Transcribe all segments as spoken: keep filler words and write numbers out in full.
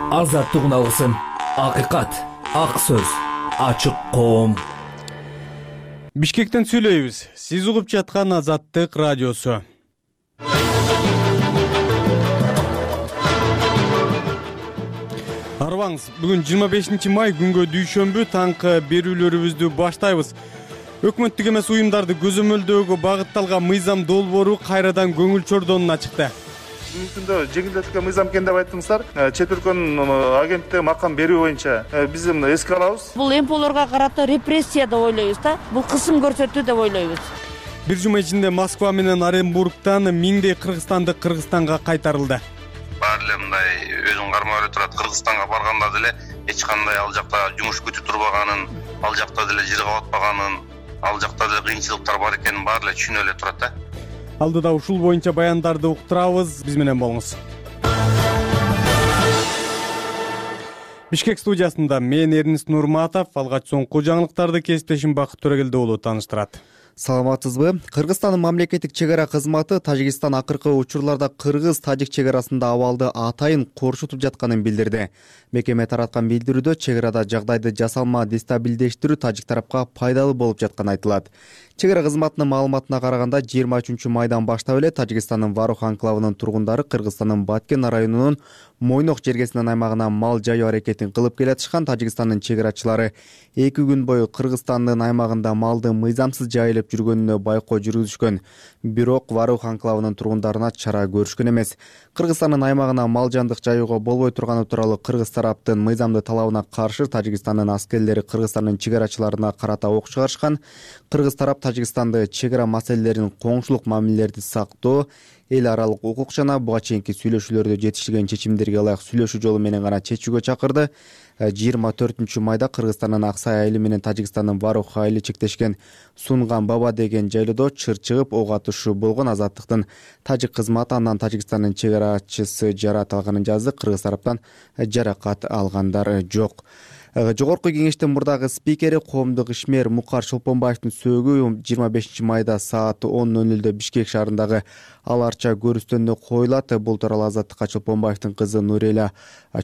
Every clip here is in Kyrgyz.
Азаттык алгысым, акыйкат, ак сөз, ачык коом. Бишкектен сүйлөйбүз. Сиз угуп жаткан Азаттык радиосу. Арбаңыз, бүгүн жыйырма бешинчи май күнгө дүйшөмбү таңкы берүүлөрүбүздү баштайбыз. Өкмөттүк эмес уюмдарды көзөмөлдөөгө багытталган мыйзам долбоору кайрадан көңүл чордонуна чыкты. Мүмкүндө жеңилдетилген мыйзам экен деп айттыңыздар. Чет өлкөнүн агенттиги макам берүү боюнча биз муну эске алабыз. Бул эмполорго карата репрессия деп ойлойбуз да. Бул кысым көрсөтүү деп ойлойбуз. Бир жума ичинде Москва менен Оренбургтан миңдей кыргызстандык Кыргызстанга кайтарылды. Баары эле мындай өзүн кармай эле турат. Кыргызстанга барганда деле эч кандай ал жакта жумуш күтүп турбаганын, ал жакта деле жыр кабатпаганын, ал жакта деле кыйынчылыктар бар экенин баары эле түшүнө эле турат да. Алдыда ушул боюнча баяндарды уктурабыз. Биз менен болуңуз. Бишкек студиясында мен Эрнест Нурматов, алгач соңку жаңылыктарды кесиптешим Бакыт Төрөгелди уулу тааныштырат. Саламатсызбы? Кыргызстандын мамлекеттик чек ара кызматы Тажикстан акыркы учурларда кыргыз-тажик чек арасында абалды атайын коршутуп жатканын билдирди. Мекеме тараткан билдирүүдө чек арада жагдайды жасалма дестабилдештирүү тажик тарапка пайдалуу болуп жатканы айтылат. Чек ара кызматынын маалыматына караганда жыйырма үчүнчү майдан баштап эле Тажикстандын Варух анклавынын тургундары Кыргызстандын Баткен районунун Мойнок жергесинин аймагына мал жайуу аракетин кылып келатышкан. Тажикстандын чек арачылары эки күн бою Кыргызстандын аймагында малды мыйзамсыз жайылып жүргөнүнө байкоо жүргүзүшкөн. Бирок Варух анклавынын тургундарына чара көрүшкөн эмес. Кыргызстандын аймагына мал жандык жайууга болбой турганы тууралуу кыргыз тараптын мыйзамдуу талабына каршы Тажикстандын аскерлери Кыргызстандын чек арачыларына карата ок чыгарышкан. Кыргыз тарап Тажикстанды чек ара маселелерин, коңшулук мамилелерди сактоо, эл аралык укук жана буга чейинки сүйлөшүүлөрдө жетишилген чечимдерге ылайык сүйлөшүү жолу менен гана чечүүгө чакырды. жыйырма төртүнчү майда Кыргызстандын Аксай айылы менен Тажикстандын Варух айылы чектешкен Сунган Баба деген жайлоодо чыр чыгып ок атышуу болгон. Азаттыктын тажик кызматы андан Тажикстандын чек арачысы жарат алганын жазды. Кыргыз тараптан жаракат алгандар жок. Жогорку кеңештин мурдагы спикери коомдук ишмер Мукар Чолпонбаевдин сөөгү жыйырма бешинчи майда саат он ноль нөлдө Бишкек шаарындагы Ал Арча көрүстөнүндө коюлат. Бул тууралуу Азаттыкка Чолпонбаевдин кызы Нуреля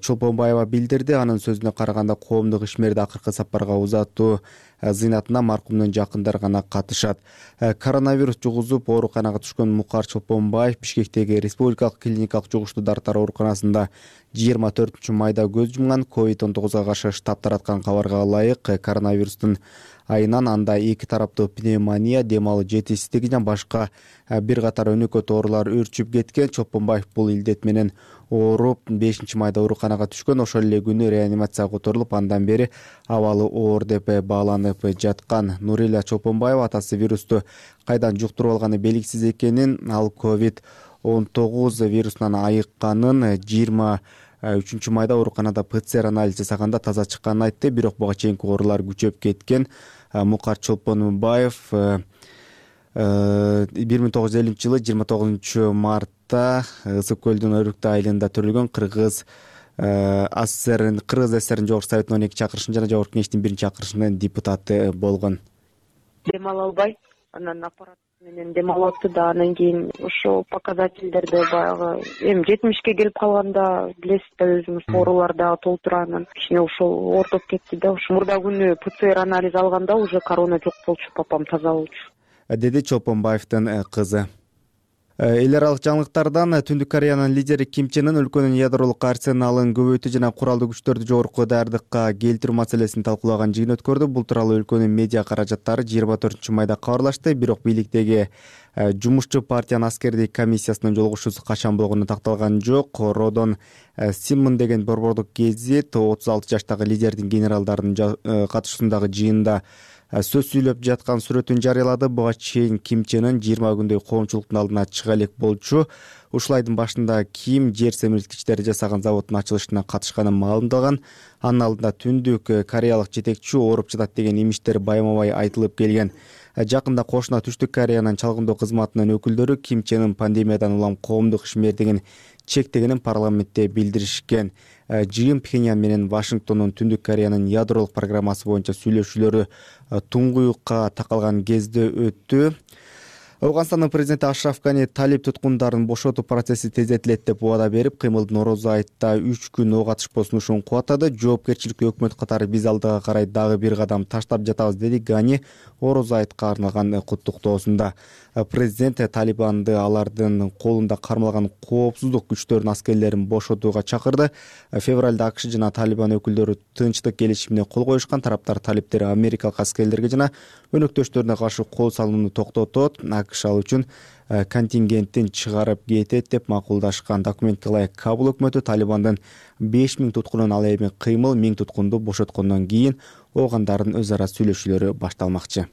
Чолпонбаева билдирди. Анын сөзүнө караганда коомдук ишмерди акыркы сапарга узатуу зыйнатына маркумдун жакындары гана катышат. Коронавирус жугузуп ооруканага түшкөн Мукар Чолпонбаев Бишкектеги Республикалык клиникалык жугуштуудар ооруканасында жыйырма төртүнчү майда көз жумган. ковид он тогузга каршы штаб тараткан кабарга ылайык коронавирустун айынан анда эки тараптуу пневмония, дем алуу жетишсиздиги жана башка бир катар өнөкөт оорулар өрчүп кеткен. Чолпонбаев бул илдет менен ооруп бешинчи майда ооруканага түшкөн. Ошол эле күнү реанимацияга которулуп, андан бери абалы оор деп бааланып жаткан. Нуреля Чолпонбаева атасы вирусту кайдан жуктуруп алганы белгисиз экенин, ал ковид он тогуз вирусунан айыкканын, жыйырма үчүнчү майда ооруканада ПЦР анализ жасаганда таза чыкканын айтты. Бирок буга чейинки оорулар күчөп кеткен. Мукар Чолпонбаев бир миң тогуз жүз элүүнчү жылы жыйырма тогузунчу мартта Ысык көлдүн Өрүктү айылында төрөлгөн. Кыргыз АССР Кыргыз ССРнин Жогорку Советинин он эки чакырышынын жана Жогорку кеңештин биринчи чакырышынын депутаты болгон. Дем ала албай, анан аппарат менен дем алып атты да, анан кийин ошо показательдерди баягы эми жетимишке келип калганда билесиз да, өзүңүз оорулар дагы толтура, анан кичине ошол ортоп кетти да. Ошо мурда күнү ПЦР анализ алганда уже корона жок болчу, папам таза болчу, деди Чолпонбаевдин кызы. Эл аралык жаңылыктардан Түндүк Кореянын лидери Ким Чен Ын өлкөнүн ядролук арсеналын көбөйтүү жана куралдуу күчтөрдү жогорку даярдыкка келтирүү маселесин талкуулаган жыйын өткөрдү. Бул тууралуу өлкөнүн медиа каражаттары жыйырма төртүнчү майда кабарлашты. Бирок бийликтеги жумушчу партиянын аскердик комиссиясынын жолугушуусу качан болгону такталган жок. Родон Симмон деген борбордук гезит отуз алты жаштагы лидердин генералдардын катышуусундагы жыйында сөз сүйлөп жаткан сүрөтүн жарыялады. Буга чейин Ким Чен Ын жыйырма күндөй коомчулуктун алдына чыга элек болчу. Ушул айдын башында Ким жер семирткичтери жасаган заводдун ачылышына катышканын маалымдаган. Анын алдында Түндүк Кореялык жетекчи ооруп жатат деген имиштер байма-бай айтылып келген. Жакында кошуна Түштүк Кореянын чалгындоо кызматынын өкүлдөрү Ким Чен Ын пандемиядан улам коомдук ишмердигин чектегенин парламентте билдиришкен. Жыйын Пхеньян менен Вашингтондун Түндүк Кореянын ядролук программасы боюнча сүйлөшүүлөрү туңгуюкка такалган кезде өттү. Ауганстандын президенти Ашраф Гани талиб туткундарын бошотуу процесси тездетилет деп убада берип, кыймылдын Нороозу айытта үч күн ок атышпоо сунушун кубаттады. Жоопкерчиликтүү өкмөт катары биз алдыга карай дагы бир кадам таштап жатабыз, деди Гани Орозу айтка арналган куттуктоосунда. Президент Талибанды алардын колунда кармалган коопсуздук күчтөрүнүн аскерлерин бошотууга чакырды. Февралда АКШ жана Талибан өкүлдөрү тынчтык келишимине кол коюшкан. Тараптар талиптер америкалык аскерлерге жана өнөктөштөрүнө каршы кол салууну токтотот, АКШ ал үчүн контингенттин чыгарып кетет деп макулдашкан. Документке ылайык Кабул өкмөтү Талибандын беш миң туткунун ал эми кыймыл миң туткунду бошоткондон кийин оогандардын өз ара сүйлөшүүлөрү башталмакчы.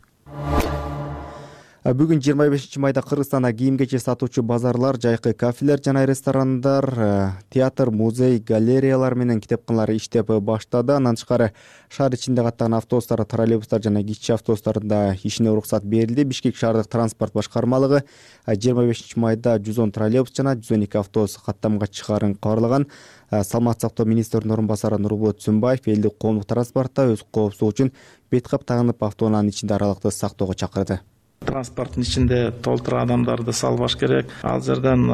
Бүгүн жыйырма бешинчи майда Кыргызстанда кийим-кече сатуучу базарлар, жайкы кафелер жана ресторандар, театр, музей, галереялар менен китепканалар иштеп баштады. Андан тышкары шаар ичинде каттаган автобустар, троллейбустар жана кичи автобустарда ишине уруксат берилди. Бишкек шаардык транспорт башкармалыгы жыйырма бешинчи майда жүз он троллейбус жана жүз он эки автобус каттамга чыгаарын кабарлаган. Саламаттык сактоо министринин орун басары Нурболот Түсүнбаев элдик коомдук транспортто өз коопсуздугу үчүн бет кап тагынып автоунаанын ичинде аралыкты сактоого чакырды. Транспорттун ичинде толтура адамдарды салбаш керек. Ал жерден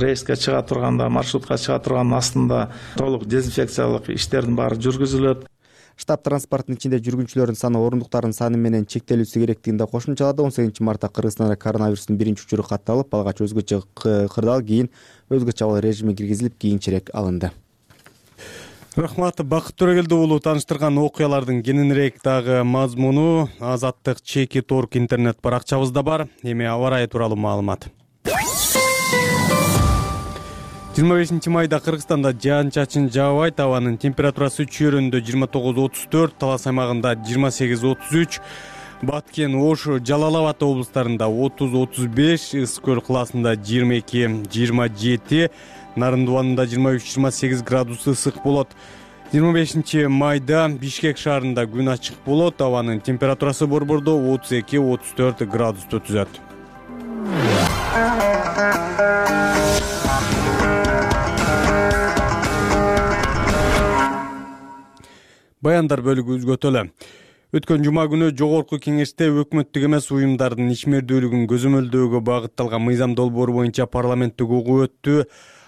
рейске чыга турганда, маршрутка чыга тургандын астында толук дезинфекциялык иштердин баары жүргүзүлөт. Штаб транспорттун ичинде жүргүнчүлөрдүн саны орундуктардын саны менен чектелүүсү керектигин да кошумчалады. он сегизинчи мартта Кыргызстанда коронавирустун биринчи учуру катталып, алгач өзгөчө кырдаал, кийин өзгөчө абал режими киргизилип, кийинчерээк алынды. Рахмат, Бакыт Төрөгелди уулу тааныштырган окуялардын кененирээк дагы мазмуну Азаттык чеки торг интернет баракчабызда бар. Эми аба ырайы тууралуу маалымат. жыйырма бешинчи майда Кыргызстанда жаан-чачын жаабайт, абанын температурасы чөйрөндө жыйырма тогуз отуз төрт, Талас аймагында жыйырма сегиз отуз үч, Баткен, Ош, Жалал Абад облустарында отуз отуз беш, Ысык көл кылаасында жыйырма эки жыйырма жети, Нарындыбанында жыйырма үч жыйырма сегиз градус ысык болот. жыйырма бешинчи майда Бишкек шаарында күн ачык болот, абанын температурасы борбордо отуз эки отуз төрт градусту түзөт. Баяндар бөлүгү үзгөтөлө. Өткөн жума күнү жогорку кеңеште өкмөттүк эмес уюмдардын ишмердүүлүгүн көзөмөлдөөгө багытталган мыйзам долбоору боюнча парламенттик угуу өттү.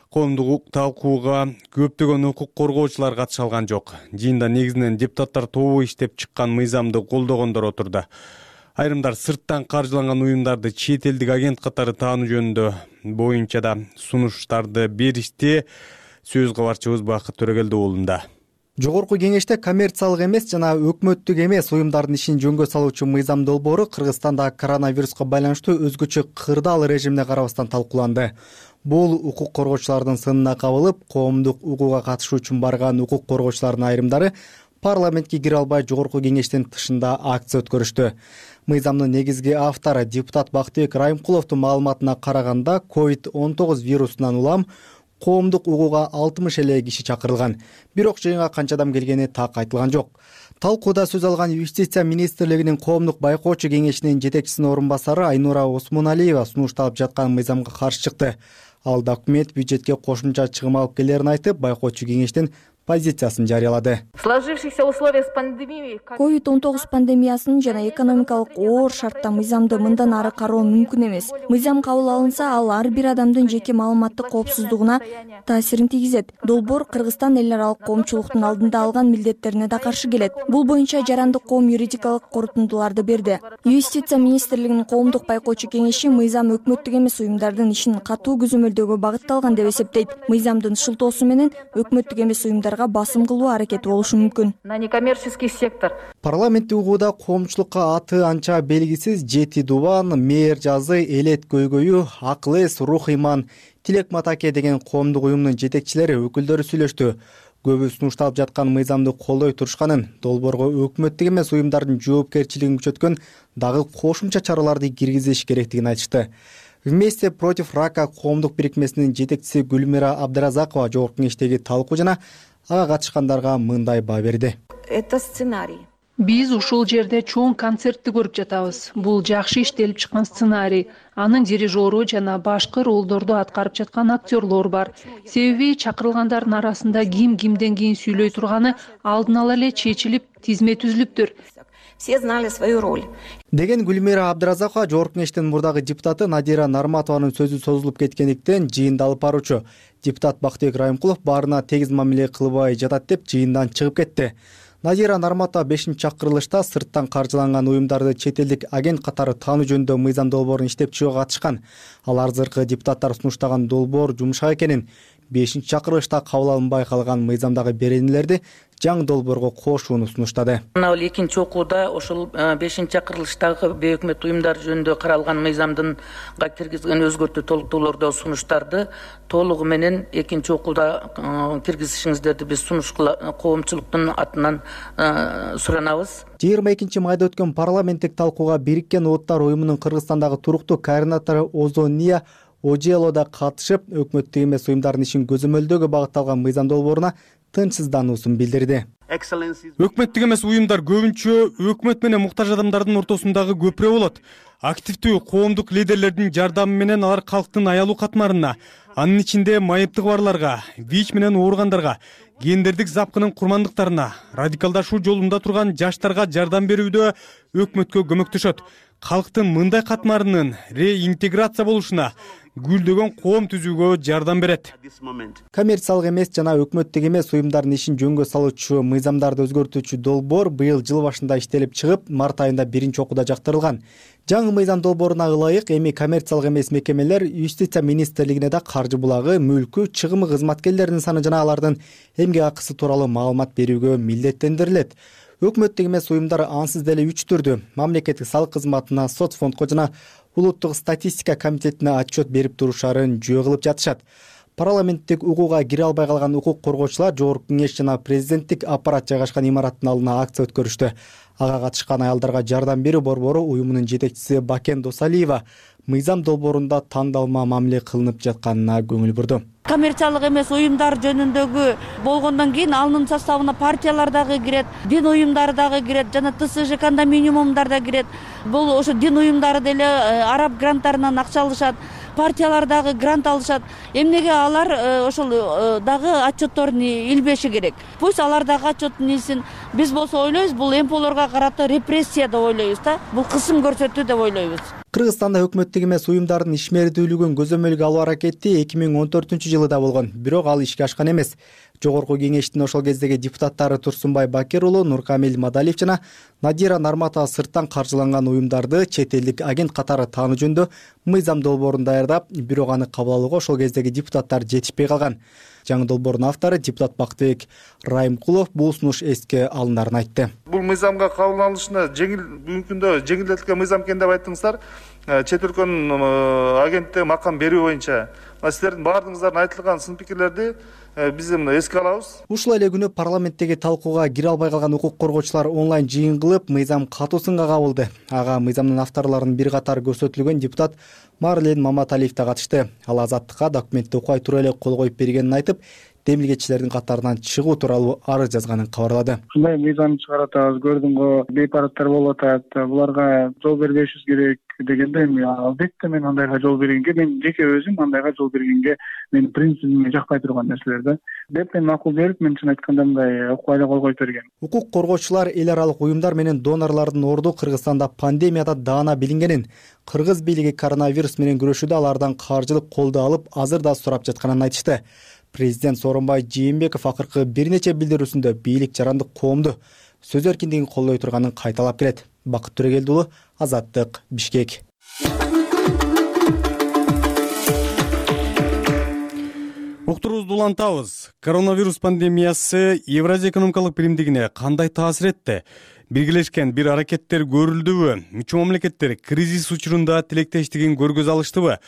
Коомдук талкууга көптөгөн укук коргоочулар катыша алган жок. Жыйында негизинен депутаттар тобу иштеп чыккан мыйзамды колдогондор отурду. Айрымдар сырттан каржыланган уюмдарды чет элдик агент катары таануу жөнүндө боюнча да сунуштарды беришти. Сөз кабарчыбыз Бакыт Төрөгелди уулунда. Жогорку кеңеште коммерциялык эмес жана өкмөттүк эмес уюмдардын ишин жөнгө салуучу мыйзам долбоору Кыргызстанда коронавируска байланыштуу өзгөчө кырдаал режимине карабастан талкууланды. Бул укук коргоочулардын сынына кабылып, коомдук угууга катышуу үчүн барган укук коргоочулардын айрымдары парламентке кире албай жогорку кеңештин тышында акция өткөрүштү. Мыйзамдын негизги автору депутат Бактыбек Райымкуловдун маалыматына караганда, ковид он тогуз вирусунан улам коомдук угууга алтымыш эле киши чакырылган. Бирок жыйынга канча адам келгени так айтылган жок. Талкууда сөз алган Юстиция министрлигинин коомдук байкоочу кеңешинин жетекчисинин орун басары Айнура Осмоналиева сунушталып жаткан мыйзамга каршы чыкты. Ал документ бюджетке кошумча чыгым алып келерин айтып, байкоочу кеңештин позициясын жарыялады. ковид он тогуз пандемиясынын жана экономикалык оор шартта мыйзамды мындан ары кароо мүмкүн эмес. Мыйзам кабыл алынса, ал ар бир адамдын жеке маалыматтык коопсуздугуна таасирин тийгизет. Долбоор Кыргызстан эл аралык коомчулуктун алдында алган милдеттерине да каршы келет. Бул боюнча жарандык коом юридикалык корутундуларды берди. Юстиция министрлигинин коомдук байкоочу кеңеши мыйзам өкмөттүк эмес уюмдардын ишин катуу көзөмөлдөөгө багытталган деп эсептейт. Мыйзамдын шылтоосу менен өкмөттүк эмес уюмдар басым кылуу аракети болушу мүмкүн. На некоммерческий сектор. Парламенттик угууда коомчулукка аты анча белгисиз Жети Дубан, Мээр жазы, Элет көйгөйү, Акыл эс, Рух иман, Тилек Матаке деген коомдук уюмдун жетекчилери, өкүлдөрү сүйлөштү. Көбү сунушталып жаткан мыйзамды колдой турушканын, долбоорго өкмөттүк эмес уюмдардын жоопкерчилигин күчөткөн дагы кошумча чараларды киргизиш керектигин айтышты. Вместе против рака коомдук бирикмесинин жетекчиси Гүлмира Абдыразакова жогорку кеңештеги талкуу жана ага катышкандарга мындай баа берди. Это сценарий. Биз ушул жерде чоң концертти көрүп жатабыз. Бул жакшы иштелип чыккан сценарий. Анын дирижеру жана башкы ролдорду аткарып жаткан актерлор бар. Себеби чакырылгандардын арасында ким кимден кийин сүйлөй турганы алдын ала эле чечилип, тизме түзүлүптүр. Все знали свою роль. Деген Гүлмира Абдыразакова жогорку кеңештин мурдагы депутаты Надира Нарматованын сөзү созулуп кеткендиктен жыйынды алып баруучу. Депутат Бактыбек Райымкулов баарына тегиз мамиле кылбай жатат деп жыйындан чыгып кетти. Надира Нарматова бешинчи чакырылышта сырттан каржыланган уюмдарды чет элдик агент катары таануу жөнүндө мыйзам долбоорун иштеп чыгууга катышкан. Ал арзыркы депутаттар сунуштаган долбоор жумшак экенин, бешинчи чакырылышта кабыл алынбай калган мыйзамдагы беренелерди жаңы долбоорго кошууну сунуштады. Мына экинчи окууда ошол бешинчи чакырылыштагы бейөкмөт уюмдар жөнүндө каралган мыйзамдынга киргизген өзгөртүү толуктоолорду сунуштарды толугу менен экинчи окууда киргизишиңиздерди биз сунуш коомчулуктун атынан суранабыз. жыйырма экинчи майда өткөн парламенттик талкууга Бириккен Улуттар уюмунун Кыргызстандагы туруктуу координатору Озония Ожело да катышып, өкмөттүк эмес уюмдардын ишин көзөмөлдөөгө багытталган мыйзам долбооруна тынчсыздануусун билдирди. Өкмөттүк эмес уюмдар көбүнчө өкмөт менен муктаж адамдардын ортосундагы көпүрө болот. Активдүү коомдук лидерлердин жардамы менен алар калктын аялуу катмарына, анын ичинде майыптыгы барларга, ВИЧ менен ооругандарга, гендердик запкынын курмандыктарына, радикалдашуу жолунда турган жаштарга жардам берүүдө өкмөткө көмөктөшөт. Калктын мындай катмарынын реинтеграция болушуна, гүлдөгөн коом түзүүгө жардам берет. Коммерциялык эмес жана өкмөттүк эмес уюмдардын ишин жөнгө салуучу мыйзамдарды өзгөртүүчү долбоор быйыл жыл башында иштелип чыгып, март айында биринчи окууда жактырылган. Жаңы мыйзам долбооруна ылайык эми коммерциялык эмес мекемелер Юстиция министрлигине да каржы булагы, мүлкү, чыгымы кызматкерлеринин саны жана алардын эмгек акысы тууралуу маалымат берүүгө милдеттендирилет. Өкмөттүк эмес уюмдар ансыз деле үч түрдүү: мамлекеттик салык кызматына, соцфондко жана улуттук статистика комитетине отчет берип турушарын жөө кылып жатышат. Парламенттик угууга кире албай калган укук коргоочулар жогорку кеңеш жана президенттик аппарат жайгашкан имараттын алдына акция өткөрүштү. Ага катышкан аялдарга жардам берүү борбору уюмунун жетекчиси Бакен Досалиева мыйзам долбоорунда тандалма мамиле кылынып жатканына көңүл бурду. Коммерциялык эмес уюмдар жөнүндөгү болгондон кийин анын составына партиялар дагы кирет, дин уюмдары дагы кирет, жана ТСЖ кондоминиумдар да кирет. Бул ошо дин уюмдары деле араб гранттарынан акча алышат, партиялар дагы грант алышат. Эмнеге алар ошол дагы отчетторун илбеши керек. Пусть алар дагы отчетун илсин. Биз болсо ойлойбуз, бул эмполорго карата репрессия деп ойлойбуз да. Бул кысым көрсөтүү деп ойлойбуз. Кыргызстанда өкмөттүк эмес уюмдардын ишмердүүлүгүн көзөмөлгө алуу аракети эки миң он төртүнчү жылы да болгон, бирок ал ишке ашкан эмес. Жогорку кеңештин ошол кездеги депутаттары Турсунбай Бакир уулу, Нуркамил Мадалиев жана Надира Нарматова сырттан каржыланган уюмдарды чет элдик агент катары таануу жөнүндө мыйзам долбоорун даярдап, бирок аны кабыл алууга ошол кездеги депутаттар жетишпей калган. Жаңы долбоордун автору депутат Бактыбек Райымкулов бул сунуш эске алындарын айтты. Бул мыйзамга кабыл алынышына жеңил мүмкүндө жеңилдетилген мыйзам экен деп айттыңыздар. Чет өлкөнүн агентте макам берүү боюнча сиздердин баардыгыңыздардын айтылган сын пикирлерди биз мына эске алабыз. Ушул эле күнү парламенттеги талкууга кире албай калган укук коргоочулар онлайн жыйын кылып, мыйзам катуу сынга кабылды. Ага мыйзамдын авторлорунун бир катары көрсөтүлгөн депутат Марлен Маматалиев да катышты. Ал азаттыкка документти окубай тура эле кол коюп бергенин айтып, демилгечилердин катарынан чыгуу тууралуу арыз жазганын кабарлады. Ушундай мыйзам чыгарып атабыз, көрдүң го, бейпараттар болуп атат, буларга жол бербешибиз керек дегенде эми албетте мен андайга жол бергенге, мен жеке өзүм андайга жол бергенге менин принцибиме жакпай турган нерселер да. Деп мен макул берип, мен чын айтканда мындай окубай эле кол коюп берген. Укук коргоочулар эл аралык уюмдар менен донорлордун орду Кыргызстанда пандемияда даана билингенин, кыргыз бийлиги коронавирус менен күрөшүүдө алардан каржылык колду алып, азыр да сурап жатканын айтышты. Президент Сооронбай Жээнбеков акыркы бир нече билдирүүсүндө бийлик жарандык коомду сөз эркиндигин колдой турганын кайталап келет. Бакыт Төрөгелди уулу, Азаттык, Бишкек. Уктуруубузду улантабыз. Коронавирус пандемиясы Евразия экономикалык биримдигине кандай таасир этти? Биргелешкен бир аракеттер көрүлдүбү? Мүчө мамлекеттер кризис учурунда тилектештигин көргөзө алыштыбы?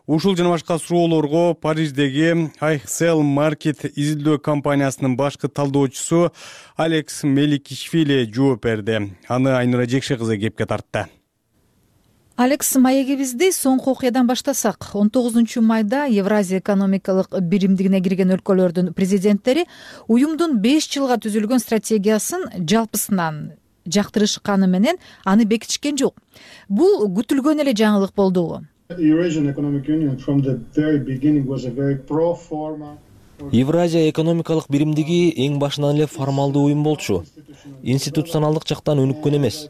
Ушул жана башка суроолорго Париждеги Айхсел Маркет изилдөө компаниясынын башкы талдоочусу Алекс Меликишвили жооп берди. Аны Айнура Жекше кызы кепке тартты. Алекс, маегибизди соңку окуядан баштасак. он тогузунчу майда Евразия экономикалык биримдигине кирген өлкөлөрдүн президенттери уюмдун беш жылга түзүлгөн стратегиясын жалпысынан жактырышканы менен аны бекитишкен жок. Бул күтүлгөн эле жаңылык болдубу? Евразия экономикалык биримдиги эң башынан эле формалдуу уюм болчу. Институционалдык жактан өнүккөн эмес.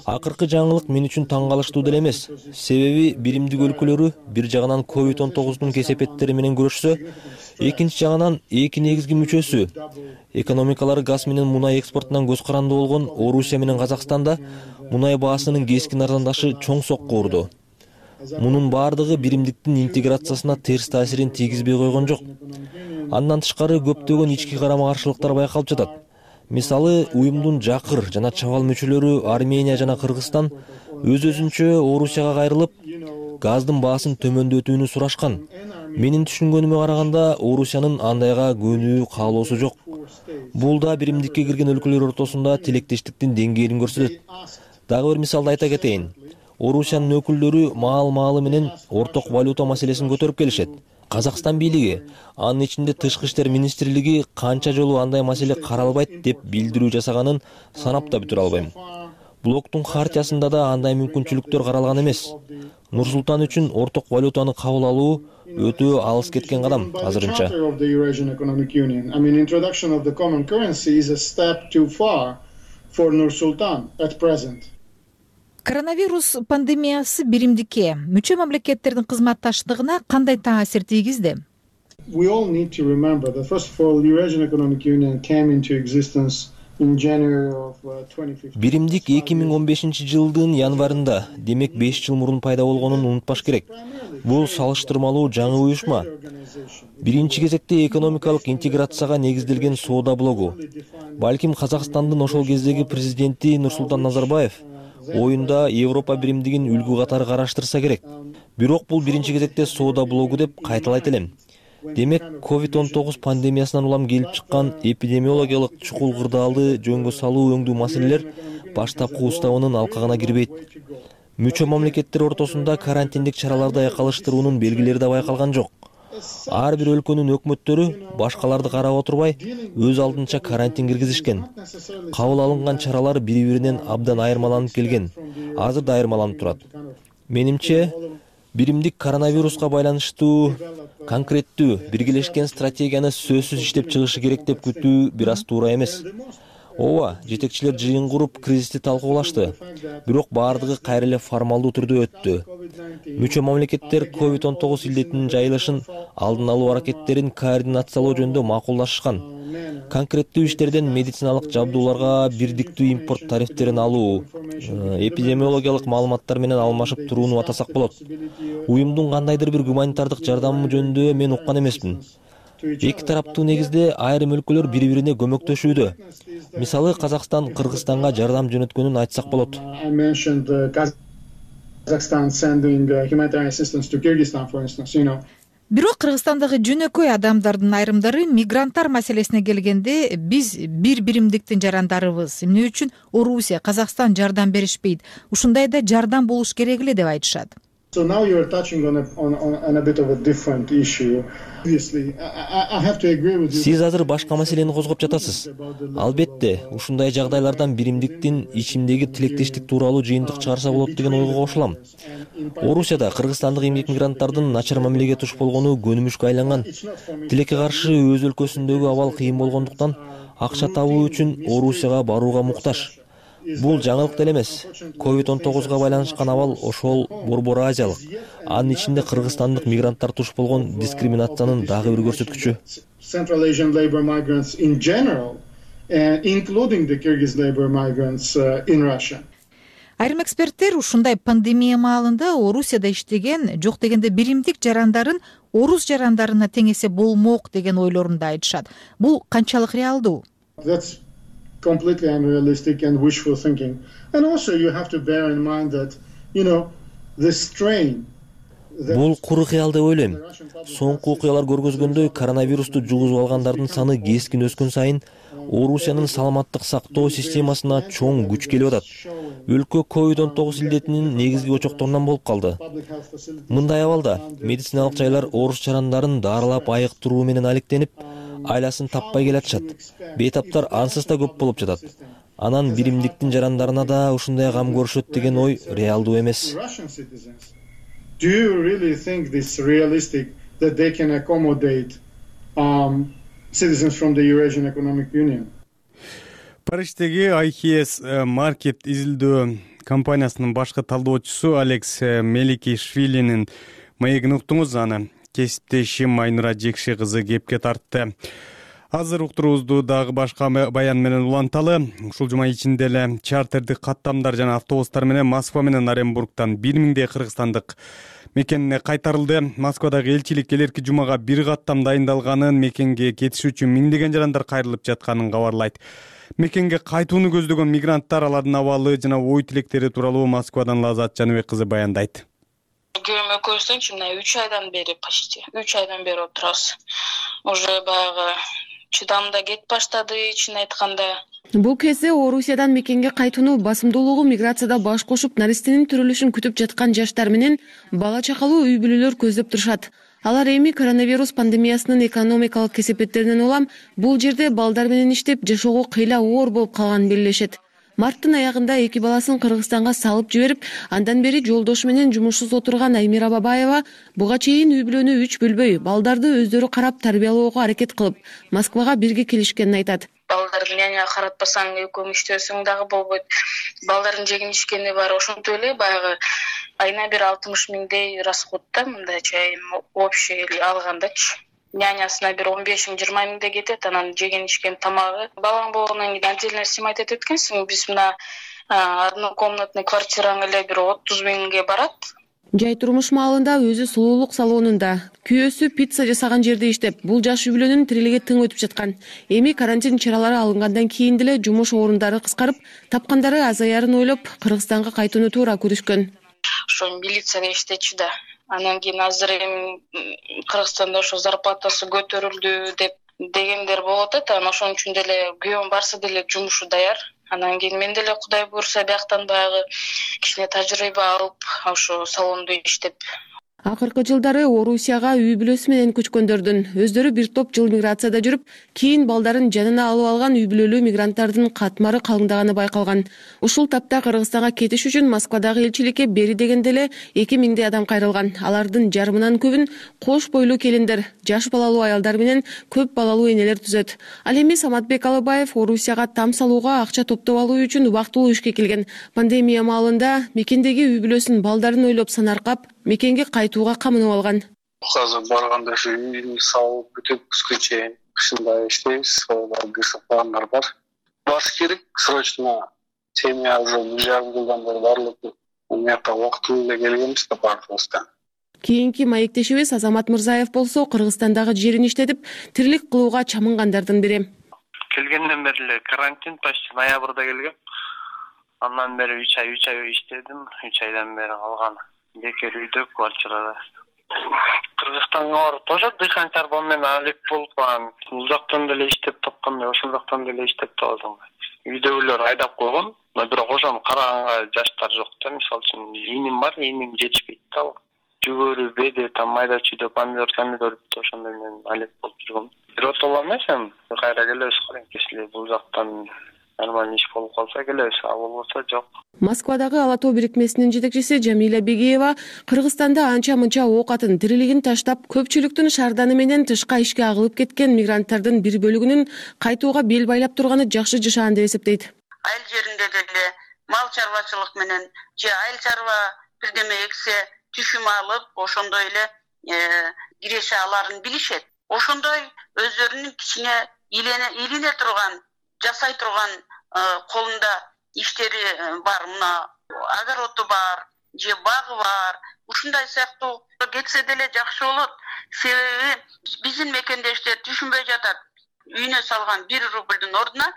Акыркы жаңылык мен үчүн таң калыштуу деле эмес. Себеби биримдик өлкөлөрү бир жагынан ковид он тогуздун кесепеттери менен күрөшсө, экинчи жагынан эки негизги мүчөсү экономикалары газ менен мунай экспортунан көз каранды болгон Орусия менен Казакстанда мунай баасынын кескин арзандашы чоң сокку урду. Мунун бардыгы биримдиктин интеграциясына терс таасирин тийгизбей койгон жок. Андан тышкары көптөгөн ички карама-каршылыктар байкалып жатат. Мисалы, уюмдун жакыр жана чабал мүчөлөрү Армения жана Кыргызстан өз-өзүнчө Орусияга кайрылып, газдын баасын төмөндөтүүнү сурашкан. Менин түшүнгөнүмө караганда, Орусиянын андайга көнүү каалоосу жок. Бул да биримдикке кирген өлкөлөр ортосунда тилектештиктин деңгээлин көрсөтөт. Дагы бир мисалды айта кетейин. Орусиянын өкүлдөрү маал-маалы менен орток валюта маселесин көтөрүп келишет. Казакстан бийлиги, анын ичинде Тышкы иштер министрлиги канча жолу андай маселе каралбайт деп билдирүү жасаганын санап да бүтүрө албайм. Блоктун хартиясында да андай мүмкүнчүлүктөр каралган эмес. Нур-Султан үчүн орток валютаны кабыл алуу өтө алыс кеткен кадам азырынча. Коронавирус пандемиясы биримдикке, мүчө мамлекеттердин кызматташтыгына кандай таасир тийгизди? Биримдик эки миң он бешинчи жылдын январында, демек беш жыл мурун пайда болгонун унутпаш керек. Бул салыштырмалуу жаңы уюшма. Биринчи кезекте экономикалык интеграцияга негизделген соода блогу. Балким Казакстандын ошол кездеги президенти Нурсултан Назарбаев оюнда Европа биримдигин үлгү катары караштырса керек. Бирок бул биринчи кезекте соода блогу деп кайталайт элем. Демек, ковид он тогуз пандемиясынан улам келип чыккан эпидемиологиялык чукул кырдаалды жөнгө салуу өңдүү маселелер баштапкы уставынын алкагына кирбейт. Мүчө мамлекеттер ортосунда карантиндик чараларды айкалыштыруунун белгилери да байкалган жок. Ар бир өлкөнүн өкмөттөрү башкаларды карап отурбай, өз алдынча карантин киргизишкен. Кабыл алынган чаралар бири-биринен абдан айырмаланып келген. Азыр да айырмаланып турат. Менимче, биримдик коронавируска байланыштуу конкреттүү биргелешкен стратегияны сөзсүз иштеп чыгышы керек деп күтүү бир аз туура эмес. Ооба, жетекчилер жыйын куруп кризисти талкуулашты. Бирок бардыгы кайра эле формалдуу түрдө өттү. Мүчө мамлекеттер ковид он тогуз илдетинин жайылышын алдын алуу аракеттерин координациялоо жөнүндө макулдашышкан. Конкреттүү иштерден медициналык жабдууларга бирдиктүү импорт тарифтерин алуу, эпидемиологиялык маалыматтар менен алмашып турууну атасак болот. Уюмдун кандайдыр бир гуманитардык жардамы жөнүндө мен уккан эмесмин. Эки тараптуу негизде айрым өлкөлөр бири-бирине көмөктөшүүдө. Мисалы, Казакстан Кыргызстанга жардам жөнөткөнүн айтсак болот. Бирок Кыргызстандагы жөнөкөй адамдардын айрымдары мигранттар маселесине келгенде биз бир биримдиктин жарандарыбыз. Эмне үчүн Орусия, Казакстан жардам беришпейт? Ушундайда жардам болуш керек эле деп айтышат. So now you are touching on a, on, on a bit of a different issue. Obviously, I, I have to agree with you. Сиз азыр башка маселени козгоп жатасыз. Албетте, ушундай жагдайлардан биримдиктин ичимдеги тилектештик тууралуу жыйынтык чыгарса болот деген ойго кошулам. Орусияда кыргызстандык эмгек мигранттардын начар мамилеге туш болгону көнүмүшкө айланган. Тилекке каршы өз өлкөсүндөгү абал кыйын болгондуктан акча табуу үчүн Орусияга барууга муктаж. Бул жаңылык деле эмес. ковид он тогузга байланышкан абал ошол Борбор Азиялык, анын ичинде кыргызстандык мигранттар туш болгон дискриминациянын дагы бир көрсөткүчү. Central Asian labor migrants in general, including the Kyrgyz labor migrants in Russia. Айрым эксперттер ушундай пандемия маалында Орусияда иштеген, жок дегенде биримдик жарандарын орус жарандарына тең эсе болмок деген ойлорун да айтышат. Бул канчалык реалдуу? That's completely unrealistic and wishful thinking. And also you have to bear in mind that, you know, the strain. Бул куру кыял деп ойлойм. Соңку окуялар көргөзгөндөй, коронавирусту жугузуп алгандардын саны кескин өскөн сайын Орусиянын саламаттык сактоо системасына чоң күч келип атат. Өлкө ковид он тогуз илдетинин негизги очокторунан болуп калды. Мындай абалда медициналык жайлар орус жарандарын дарылап айыктыруу менен алектенип, айласын таппай келатышат. Бейтаптар ансыз да көп болуп жатат. Анан биримдиктин жарандарына да ушундай кам көрүшөт деген ой реалдуу эмес. Do you really think this realistic that they can accommodate um, citizens from the Eurasian Economic Union. Париждеги ай си эс Market изилдөө компаниясынын башкы талдоочусу Алекс Меликишвилинин маегин уктуңуз. Аны кесиптешим Айнура Жекши кызы кепке тартты. Азыр уктуруубузду дагы башка баян менен уланталы. Ушул жума ичинде эле чартердик каттамдар жана автобустар менен Москва менен Оренбургтан бир миңдей кыргызстандык мекенине кайтарылды. Москвадагы элчилик келерки жумага бир каттам дайындалганын, мекенге кетиш үчүн миңдеген жарандар кайрылып жатканын кабарлайт. Мекенге кайтууну көздөгөн мигранттар, алардын абалы жана ой тилектери тууралуу Москвадан Лазат Жаныбек кызы баяндайт. Күйөөм экөөбүздүн мына үч айдан бери почти үч айдан бери отурабыз. Уже баягы чыдам да кетип баштады, чын айтканда. Бул кезде Орусиядан мекенге кайтууну басымдуулугу миграцияда баш кошуп, наристенин төрөлүшүн күтүп жаткан жаштар менен бала чакалуу үй бүлөлөр көздөп турушат. Алар эми коронавирус пандемиясынын экономикалык кесепеттеринен улам бул жерде балдар менен иштеп жашоого кыйла оор болуп калганын белгилешет. Марттын аягында эки баласын Кыргызстанга салып жиберип, андан бери жолдошу менен жумушсуз отурган Аймира Бабаева буга чейин үй бүлөнү үч бөлбөй, балдарды өздөрү карап тарбиялоого аракет кылып, Москвага бирге келишкенин айтат. Балдарды няня каратпасаң экөөң иштесең дагы болбойт. Балдардын жегин ичкени бар, ошентип эле баягы айына бир алтымыш миңдей расход да, мындайча общий алгандачы. Нянясына бир он беш миң жыйырма миңдей кетет, анан жеген ичкен тамагы. Балаң болгондон кийин отдельно снимать этет экенсиң. Биз мына однокомнатный квартираң эле бир отуз миңге барат. Жай турмуш маалында өзү сулуулук салонунда, күйөөсү пицца жасаган жерде иштеп, бул жаш үй бүлөнүн тирилиги тың өтүп жаткан. Эми карантин чаралары алынгандан кийин деле жумуш орундары кыскарып, тапкандары азаярын ойлоп, Кыргызстанга кайтууну туура көрүшкөн. Ошо милицияда иштечү да. Анан кийин азыр эми Кыргызстанда ошо зарплатасы көтөрүлдү деп дегендер болуп атат. Анан ошон үчүн деле күйөөм барса деле жумушу даяр. Анан кийин мен деле Кудай буйрса бияктан баягы кичине тажрыйба алып, ошо салондо иштеп. Акыркы жылдары Орусияга үй бүлөсү менен көчкөндөрдүн өздөрү бир топ жыл миграцияда жүрүп, кийин балдарын жанына алып алган үй бүлөлүү мигранттардын катмары калыңдаганы байкалган. Ушул тапта Кыргызстанга кетиш үчүн Москвадагы элчиликке бери дегенде эле эки миңдей адам кайрылган. Алардын жарымынан көбүн кош бойлуу келиндер, жаш балалуу аялдар менен көп балалуу энелер түзөт. Ал эми Саматбек Алыбаев Орусияга там салууга акча топтоп алуу үчүн убактылуу ишке келген. Пандемия маалында мекендеги үй бүлөсүн, балдарын ойлоп санаркап, мекенге кайтууга камынып алган. Азыр барганда ушу үйдү салып бүтүп кышка чейин кышында иштейбиз, кырсык пландар бар. Баш керек срочно. Семья уже бир жарым жылдан бери барлык мыякка убактылуу эле келгенбиз да бардыгыбыздан. Кийинки маектешибиз Азамат Мырзаев болсо Кыргызстандагы жерин иштетип, тирилик кылууга чамынгандардын бири. Келгенден бери эле карантин, почти ноябрда келгем. Андан бери үч ай үч ай иштедим, үч айдан бери калган. Бекер үйдө, квартирада. Кыргызстанга барып ошо дыхан чарба менен алек болуп калган. Бул жактан деле иштеп тапканда, ошол жактан деле иштеп табадым. Үйдөгүлөр айдап койгон, бирок ошону караганга жаштар жок да. Мисалы үчүн иним бар, иним жетишпейт да. Жүгөрү, беде, там майда чүйдө помидор, помидор ошондой менен алек болуп жүргөм. Бирок эмес эми, кайра келебиз кайынкесиле бул жактан нормально иш болуп калса келебиз, а болбосо жок. Москвадагы Ала тоо бирикмесинин жетекчиси Жамиля Бегиева Кыргызстанда анча-мынча оокатын, тирилигин таштап, көпчүлүктүн шаарданы менен тышка ишке агылып кеткен мигранттардын бир бөлүгүнүн кайтууга бел байлап турганы жакшы жашаан деп эсептейт. Айыл жеринде деле мал чарбачылык менен же айыл чарба бирдеме эксе түшүм алып, ошондой эле киреше аларын билишет. Ошондой өздөрүнүн кичине илине турган, жасай турган колунда иштери бар, мына огороду бар, же багы бар. Ушундай сыяктуу кетсе деле жакшы болот. Себеби биздин мекендештер түшүнбөй жатат. Үйүнө салган бир рублдун ордуна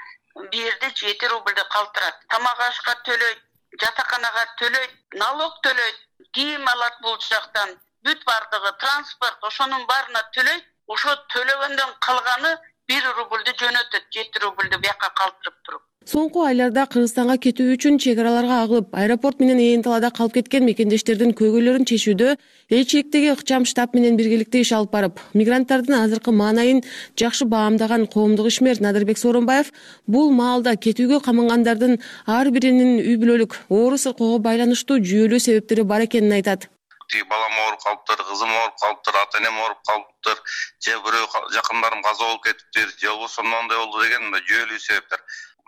бир жерде жети рублду калтырат. Тамак ашка төлөйт, жатаканага төлөйт, налог төлөйт, кийим алат бул жактан. Бүт бардыгы, транспорт, ошонун баарына төлөйт. Ошо төлөгөндөн калганы бир рублду жөнөтөт, жети рублду бияка калтырып туруп. Соңку айларда Кыргызстанга кетүү үчүн чек араларга агылып, аэропорт менен ээн талаада калып кеткен мекендештердин көйгөйлөрүн чечүүдө элчиликтеги ыкчам штаб менен биргеликте иш алып барып, мигранттардын азыркы маанайын жакшы баамдаган коомдук ишмер Надырбек Сооронбаев бул маалда кетүүгө камынгандардын ар биринин үй бүлөлүк, оору сыркоого байланыштуу жүйөлүү себептери бар экенин айтат. тиги балам ооруп калыптыр, кызым ооруп калыптыр, ата энем ооруп калыптыр, же бирөө жакындарым каза болуп кетиптир, же болбосо моундай болду деген мындай жүйөлүү себептер.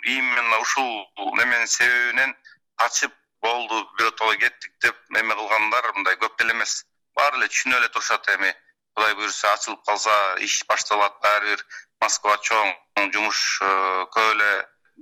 Именно ушул неменин себебинен качып болду, биротоло кеттик деп эме кылгандар мындай көп эле эмес. Баары эле түшүнүп эле турушат. Эми Кудай буюрса ачылып калса, иш башталат, баары бир Москва чоң, жумуш көп эле,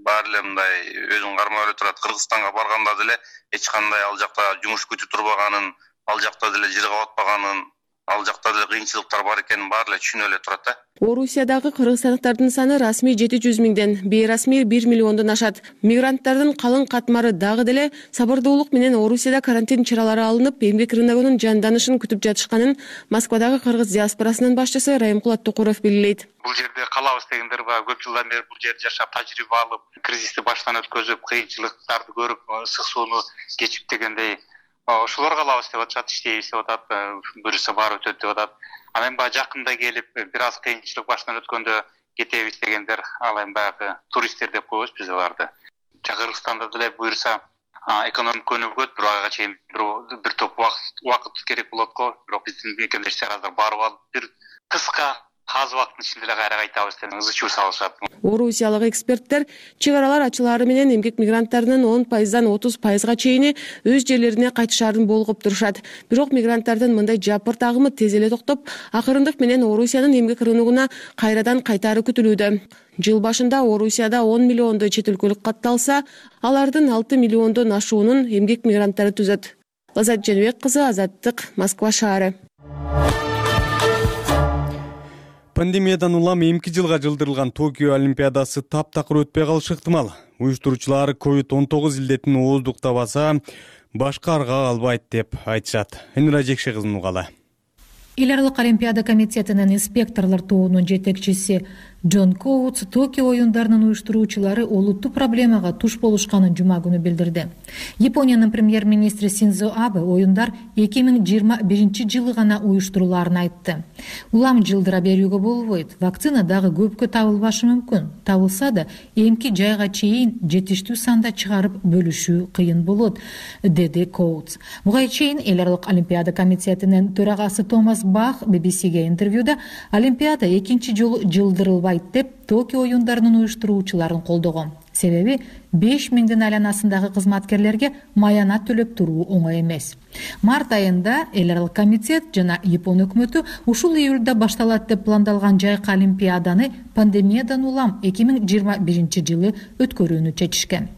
баары эле мындай өзүн кармап эле турат. Кыргызстанга барганда деле эч кандай ал жакта жумуш күтүп турбаганын, ал жакта деле жыр кап атпаганын, ал жакта деле кыйынчылыктар бар экенин баары эле түшүнүп эле турат да. Орусиядагы кыргызстандыктардын саны расмий жети жүз миңден, бейрасмий бир миллиондон ашат. Мигранттардын калың катмары дагы деле сабырдуулук менен Орусияда карантин чаралары алынып, эмгек рыногунун жанданышын күтүп жатышканын Москвадагы кыргыз диаспорасынын башчысы Райымкул Аттыкуров белгилейт. Бул жерде калабыз дегендер бар, көп жылдан бери бул жерде жашап, тажрыйба алып, кризисти баштан өткөзүп, кыйынчылыктарды көрүп, ысык сууну кечип дегендей ошолор калабыз деп атышат, иштейбиз деп атат, буюрса баары өтөт деп атат. Анан баягы жакында келип, бир аз кыйынчылык баштан өткөндө кетебиз дегендер, ал эми баягы туристтер деп коебуз биз аларды. Кыргызстанда деле буюрса экономика өнүгөт, бир айга чейин бир топ убакыт керек болот го, бирок биздин мекендештер азыр барып алып, бир кыска аз убакыттын ичинде эле кайра кайтабыз деп ызы чуу салышат. Орусиялык эксперттер чек аралар ачылаары менен эмгек мигранттарынын он пайыздан отуз пайызга чейини өз жерлерине кайтышаарын болгоп турушат. Бирок мигранттардын мындай жапырт агымы тез эле токтоп, акырындык менен Орусиянын эмгек рыногуна кайрадан кайтаары күтүлүүдө. Жыл башында Орусияда он миллиондой чет өлкөлүк катталса, алардын алты миллиондон ашуунун эмгек мигранттары түзөт. Лазат Женбек кызы, Азаттык, Москва шаары. Пандемиядан улам эмки жылга жылдырылган Токио Олимпиадасы таптакыр өтпөй калышы ыктымал. Уюштуруучулар ковид он тогуз илдетин ооздуктабаса, башка арга калбайт деп айтышат. Энира Жекше кызынын угалы. Эл аралык Олимпиада комитетинин инспекторлор тобунун жетекчиси Джон Коутс Токио оюндарынын уюштуруучулары олуттуу проблемага туш болушканын жума күнү билдирди. Япониянын премьер-министри Синдзо Абе оюндар эки миң жыйырма биринчи жылы гана уюштурулаарын айтты. Улам жылдыра берүүгө болбойт. Вакцина дагы көпкө табылбашы мүмкүн. Табылса да, эмки жайга чейин жетиштүү санда чыгарып бөлүшүү кыйын болот, деди Коутс. Буга чейин Эл аралык Олимпиада комитетинин төрагасы Томас Бах би би сиге интервьюда Олимпиада экинчи жолу жылдырылбайт деп Токио оюндарынын уюштуруучуларын колдогон. Себеби беш миңдин айланасындагы кызматкерлерге маянат төлөп туруу оңой эмес. Март айында Эл аралык комитет жана Япон өкмөтү ушул июлда башталат деп пландалган жайкы Олимпиаданы пандемиядан улам эки миң жыйырма биринчи жылы өткөрүүнү чечишкен.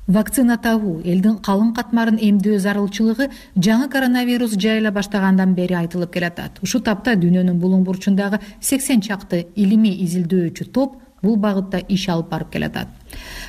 Вакцина табуу, элдин калың катмарын эмдөө зарылчылыгы жаңы коронавирус жайыла баштагандан бери айтылып келатат. Ушу тапта дүйнөнүн булуң бурчундагы сексен чакты илимий изилдөөчү топ бул багытта иш алып барып келатат.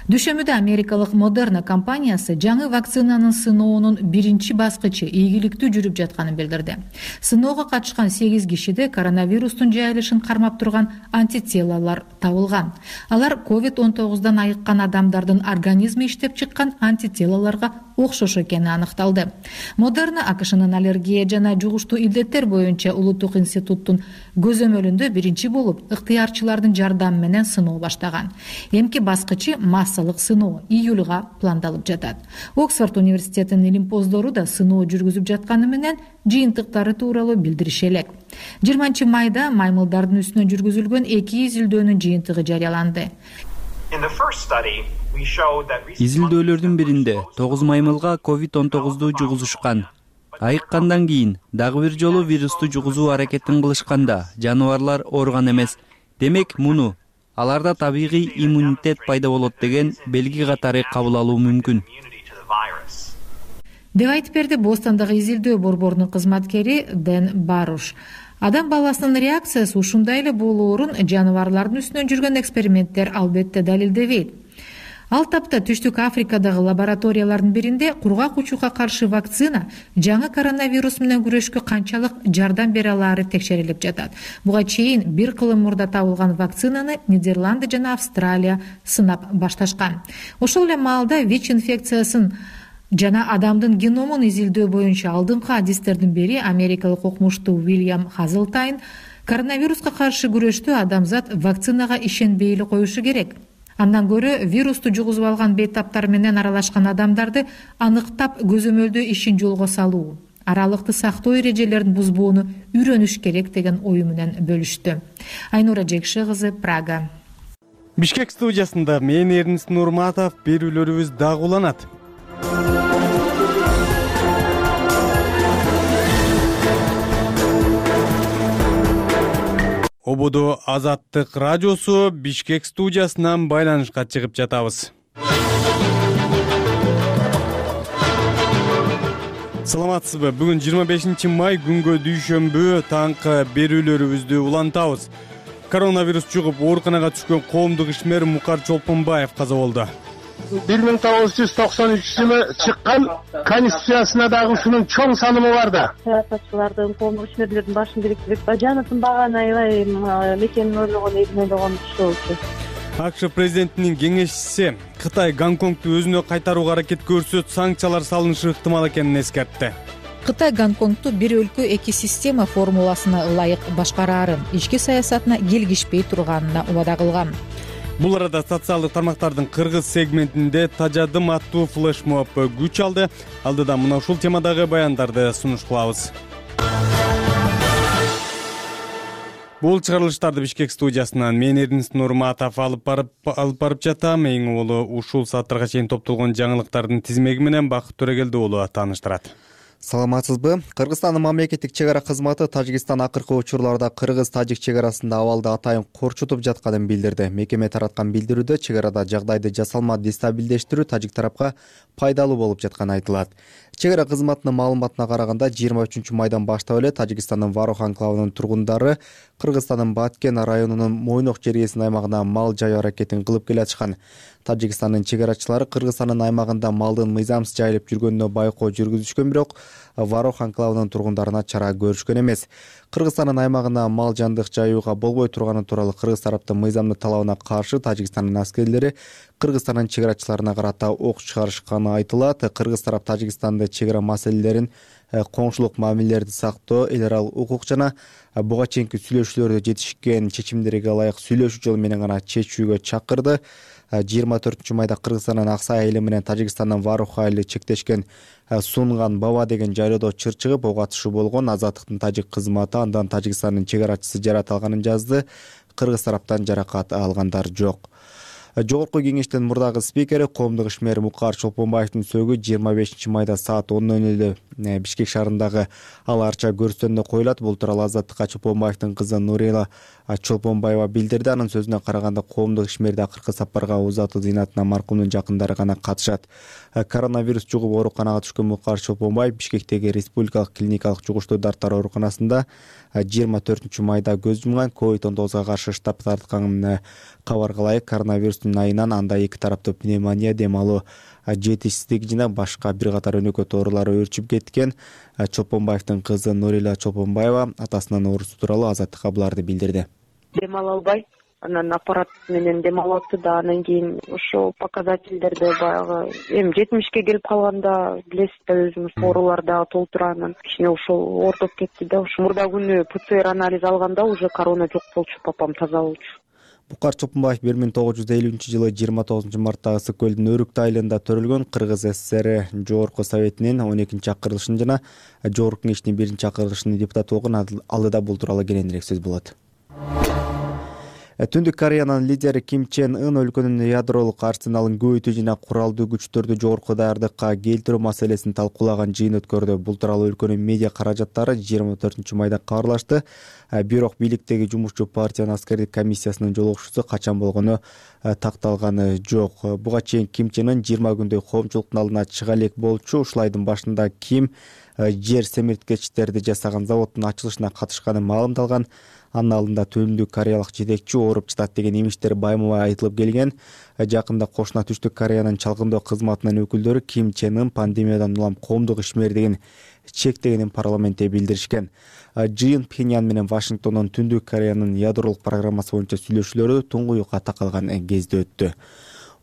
Дүйшөмбүдө америкалык Moderna компаниясы жаңы вакцинанын сыноонун биринчи баскычы ийгиликтүү жүрүп жатканын билдирди. Сыноого катышкан сегиз кишиде коронавирустун жайылышын кармап турган антителалар табылган. Алар ковид он тогуздан айыккан адамдардын организми иштеп чыккан антителаларга окшош экени аныкталды. Moderna АКШнын аллергия жана жугуштуу илдеттер боюнча улуттук институттун көзөмөлүндө биринчи болуп ыктыярчылардын жардамы менен сыноо баштаган. Эмки баскычы массалык сыноо июлга пландалып жатат. Оксфорд университетинин илимпоздору да сыноо жүргүзүп жатканы менен жыйынтыктары тууралуу билдириши элек. жыйырманчы майда маймылдардын үстүнө жүргүзүлгөн эки изилдөөнүн жыйынтыгы жарыяланды. Изилдөөлөрдүн биринде тогуз маймылга ковид он тогузду жугузушкан. Айыккандан кийин дагы бир жолу вирусту жугузуу аракетин кылышканда жаныбарлар ооруган эмес. Демек, муну аларда табигый иммунитет пайда болот деген белги катары кабыл алуу мүмкүн. Деп айтып берди Бостондагы изилдөө борборунун кызматкери Дэн Баруш. Адам баласынын реакциясы ушундай эле болоорун жаныбарлардын үстүнөн жүргөн эксперименттер албетте далилдебейт. Ал тапта Түштүк Африкадагы лабораториялардын биринде кургак учууга каршы вакцина жаңы коронавирус менен күрөшкө канчалык жардам бере алаары текшерилип жатат. Буга чейин бир кылым мурда табылган вакцинаны Нидерланды жана Австралия сынап башташкан. Ошол эле маалда ВИЧ инфекциясын жана адамдын геномун изилдөө боюнча алдыңкы адистердин бири америкалык окумуштуу Уильям Хазелтайн коронавируска каршы күрөштө адамзат вакцинага ишенбей эле коюшу керек. Андан көрө вирусту жугузуп алган бейтаптар менен аралашкан адамдарды аныктап көзөмөлдөө ишин жолго салуу. аралыкты сактоо эрежелерин бузбоону үйрөнүш керек деген ою менен бөлүштү. Айнура Жекши кызы, Прага. Бишкек студиясында мен Эрнис Нурматов, берүүлөрүбүз дагы уланат. Ободо Азаттык радиосу Бишкек студиясынан байланышка чыгып жатабыз. Саламатсызбы? Бүгүн жыйырма бешинчи май күнгө дүйшөмбү таңкы берүүлөрүбүздү улантабыз. Коронавирус чугуп ооруканага түшкөн коомдук ишмер Мукар Чолпонбаев каза болду. бир миң тогуз жүз токсон үчүнчү жылы чыккан конституциясына дагы ушунун чоң санымы бар да. Саясатчылардын, коомдук ишмерлердин башын бириктирип, жанатын баганы аябай мекенин ойлогон, элин ойлогон киши болчу. АКШ президентинин кеңешчиси Кытай Гонконгду өзүнө кайтарууга аракет көрсөт, санкциялар салынышы ыктымал экенин эскертти. Кытай Гонконгду бир өлкө эки система формуласына ылайык башкараарын, ички саясатына келгишпей турганына убада кылган. Бул арада социалдык тармактардын кыргыз сегментинде тажадым аттуу флешмоб күч алды. Алдыда мына ушул темадагы баяндарды сунуш кылабыз. Бул чыгарылыштарды Бишкек студиясынан мен Эрнис Нурматов алып барып алып барып жатам. Эң улуу ушул сааттарга чейин топтолгон жаңылыктардын тизмеги менен Бакыт Төрөгелди уулу тааныштырат. Саламатсызбы? Кыргызстандын мамлекеттик чек ара кызматы Тажикстан акыркы учурларда кыргыз-тажик чек арасында абалды атайын корчутуп жатканын билдирди. Мекеме тараткан билдирүүдө чек арада жагдайды жасалма дестабилдештирүү тажик тарапка пайдалуу болуп жатканы айтылат. Чек ара кызматынын маалыматына караганда жыйырма үчүнчү майдан баштап эле Тажикстандын Варох анклавынын тургундары Кыргызстандын Баткен районунун Мойнок чергесинин аймагына мал жайуу аракетин кылып келатышкан. Тажикстандын чек арачылары Кыргызстандын аймагында малдын мыйзамсыз жайылып жүргөнүнө байкоо жүргүзүшкөн, бирок Варох анклавынын тургундарына чара көрүшкөн эмес. Кыргызстандын аймагына мал жандык жайууга болбой турганы тууралуу кыргыз тараптын мыйзамдуу талабына каршы Тажикстандын аскерлери Кыргызстандын чек арачыларына карата ок чыгарышканы айтылат. Кыргыз тарап Тажикстанды чек ара маселелерин, коңшулук мамилелерди сактоо, эл аралык укук жана буга чейинки сүйлөшүүлөрдө жетишкен чечимдерге ылайык сүйлөшүү жолу менен гана чечүүгө чакырды. жыйырма төртүнчү майда Кыргызстандын Аксай айылы менен Тажикстандын Варох айылы чектешкен Сунган Баба деген жайлоодо чыр чыгып ок атышуу болгон. Азаттыктын тажик кызматы андан Тажикстандын чек арачысы жарат алганын жазды. Кыргыз тараптан жаракат алгандар жок. Жогорку кеңештин мурдагы спикери коомдук ишмер Мукар Чолпонбаевдин сөөгү жыйырма бешинчи майда саат он ноль нөлдө Бишкек шаарындагы Ал Арча көрүстөнүнө коюлат. Бул тууралуу Азаттыкка Чолпонбаевдин кызы Нурила Чолпонбаева билдирди. Анын сөзүнө караганда коомдук ишмерди акыркы сапарга узатуу зыйнатына маркумдун жакындары гана катышат. Коронавирус жугуп ооруканага түшкөн Мукар Чолпонбаев Бишкектеги Республикалык клиникалык жугуштуу дарттар ооруканасында жыйырма төртүнчү майда көз жумган. ковид он тогузга каршы штаб тарткан кабарга ылайык коронавирустун айынан анда эки тараптуу пневмония, дем алуу жетишсиздиги жана башка бир катар өнөкөт оорулар өөрчүп кеткен. Чолпонбаевдин кызы Нурила Чолпонбаева атасынын оорусу тууралуу Азаттыкка буларды билдирди. Дем ала албай, анан аппарат менен дем алып атты да, анан кийин ошол показательдерди баягы эми жетимишке келип калганда билесиз да, өзүңүз оорулар дагы толтура, анан кичине ошол оорутуп кетти да. Ошо мурда күнү ПЦР анализ алганда уже корона жок болчу, папам таза болчу. Мукар Чолпонбаев бир миң тогуз жүз элүүнчү жылы жыйырма тогузунчу марттагы Ысык көлдүн Өрүктү айылында төрөлгөн. Кыргыз ССР Жогорку Советинин он экинчи чакырылышын жана Жогорку Кеңештин биринчи чакырылышынын депутаты болгон. Алдыда бул тууралуу кененирээк сөз болот. Түндүк Кореянын лидери Ким Чен Ын өлкөнүн ядролук арсеналын көбөйтүү жана куралдуу күчтөрдү жогорку даярдыкка келтирүү маселесин талкуулаган жыйын өткөрдү. Бул тууралуу өлкөнүн медиа каражаттары жыйырма төртүнчү майда кабарлашты. Бирок бийликтеги жумушчу партиянын аскердик комиссиясынын жолугушуусу качан болгону такталганы жок. Буга чейин Ким Чен Ын жыйырма күндөй коомчулуктун алдына чыга элек болчу. Ушул айдын башында Ким жер семирткечтерди жасаган заводдун ачылышына катышканы маалымдалган. Анын алдында Түндүк кореялык жетекчи ооруп жатат деген имиштер байма-бай айтылып келген. Жакында кошуна Түштүк Кореянын чалгындоо кызматынын өкүлдөрү Ким Чен Ын пандемиядан улам коомдук ишмердигин чектегенин парламентте билдиришкен. Жыйын Пхеньян менен Вашингтондон Түндүк Кореянын ядролук программасы боюнча сүйлөшүүлөрү туңгуюкка такалган кезде өттү.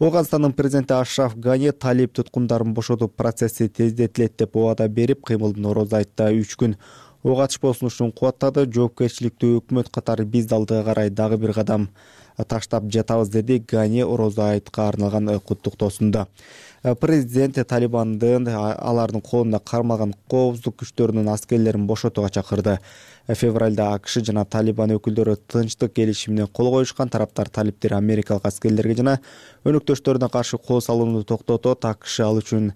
Ооганстандын президенти Ашраф Гани талип туткундарын бошотуу процесси тездетилет деп убада берип, кыймылдын орозу айтта үч күн ок атышпоо сунушун кубаттады. Жоопкерчиликтүү өкмөт катары биз алдыга карай дагы бир кадам таштап жатабыз, деди Гани Орозо айтка арналган куттуктоосунда. Президент Талибандын алардын колунда кармалган коопсуздук күчтөрүнүн аскерлерин бошотууга чакырды. Февралда АКШ жана Талибан өкүлдөрү тынчтык келишимине кол коюшкан. Тараптар талиптер америкалык аскерлерге жана өнөктөштөрүнө каршы кол салууну токтотот, АКШ ал үчүн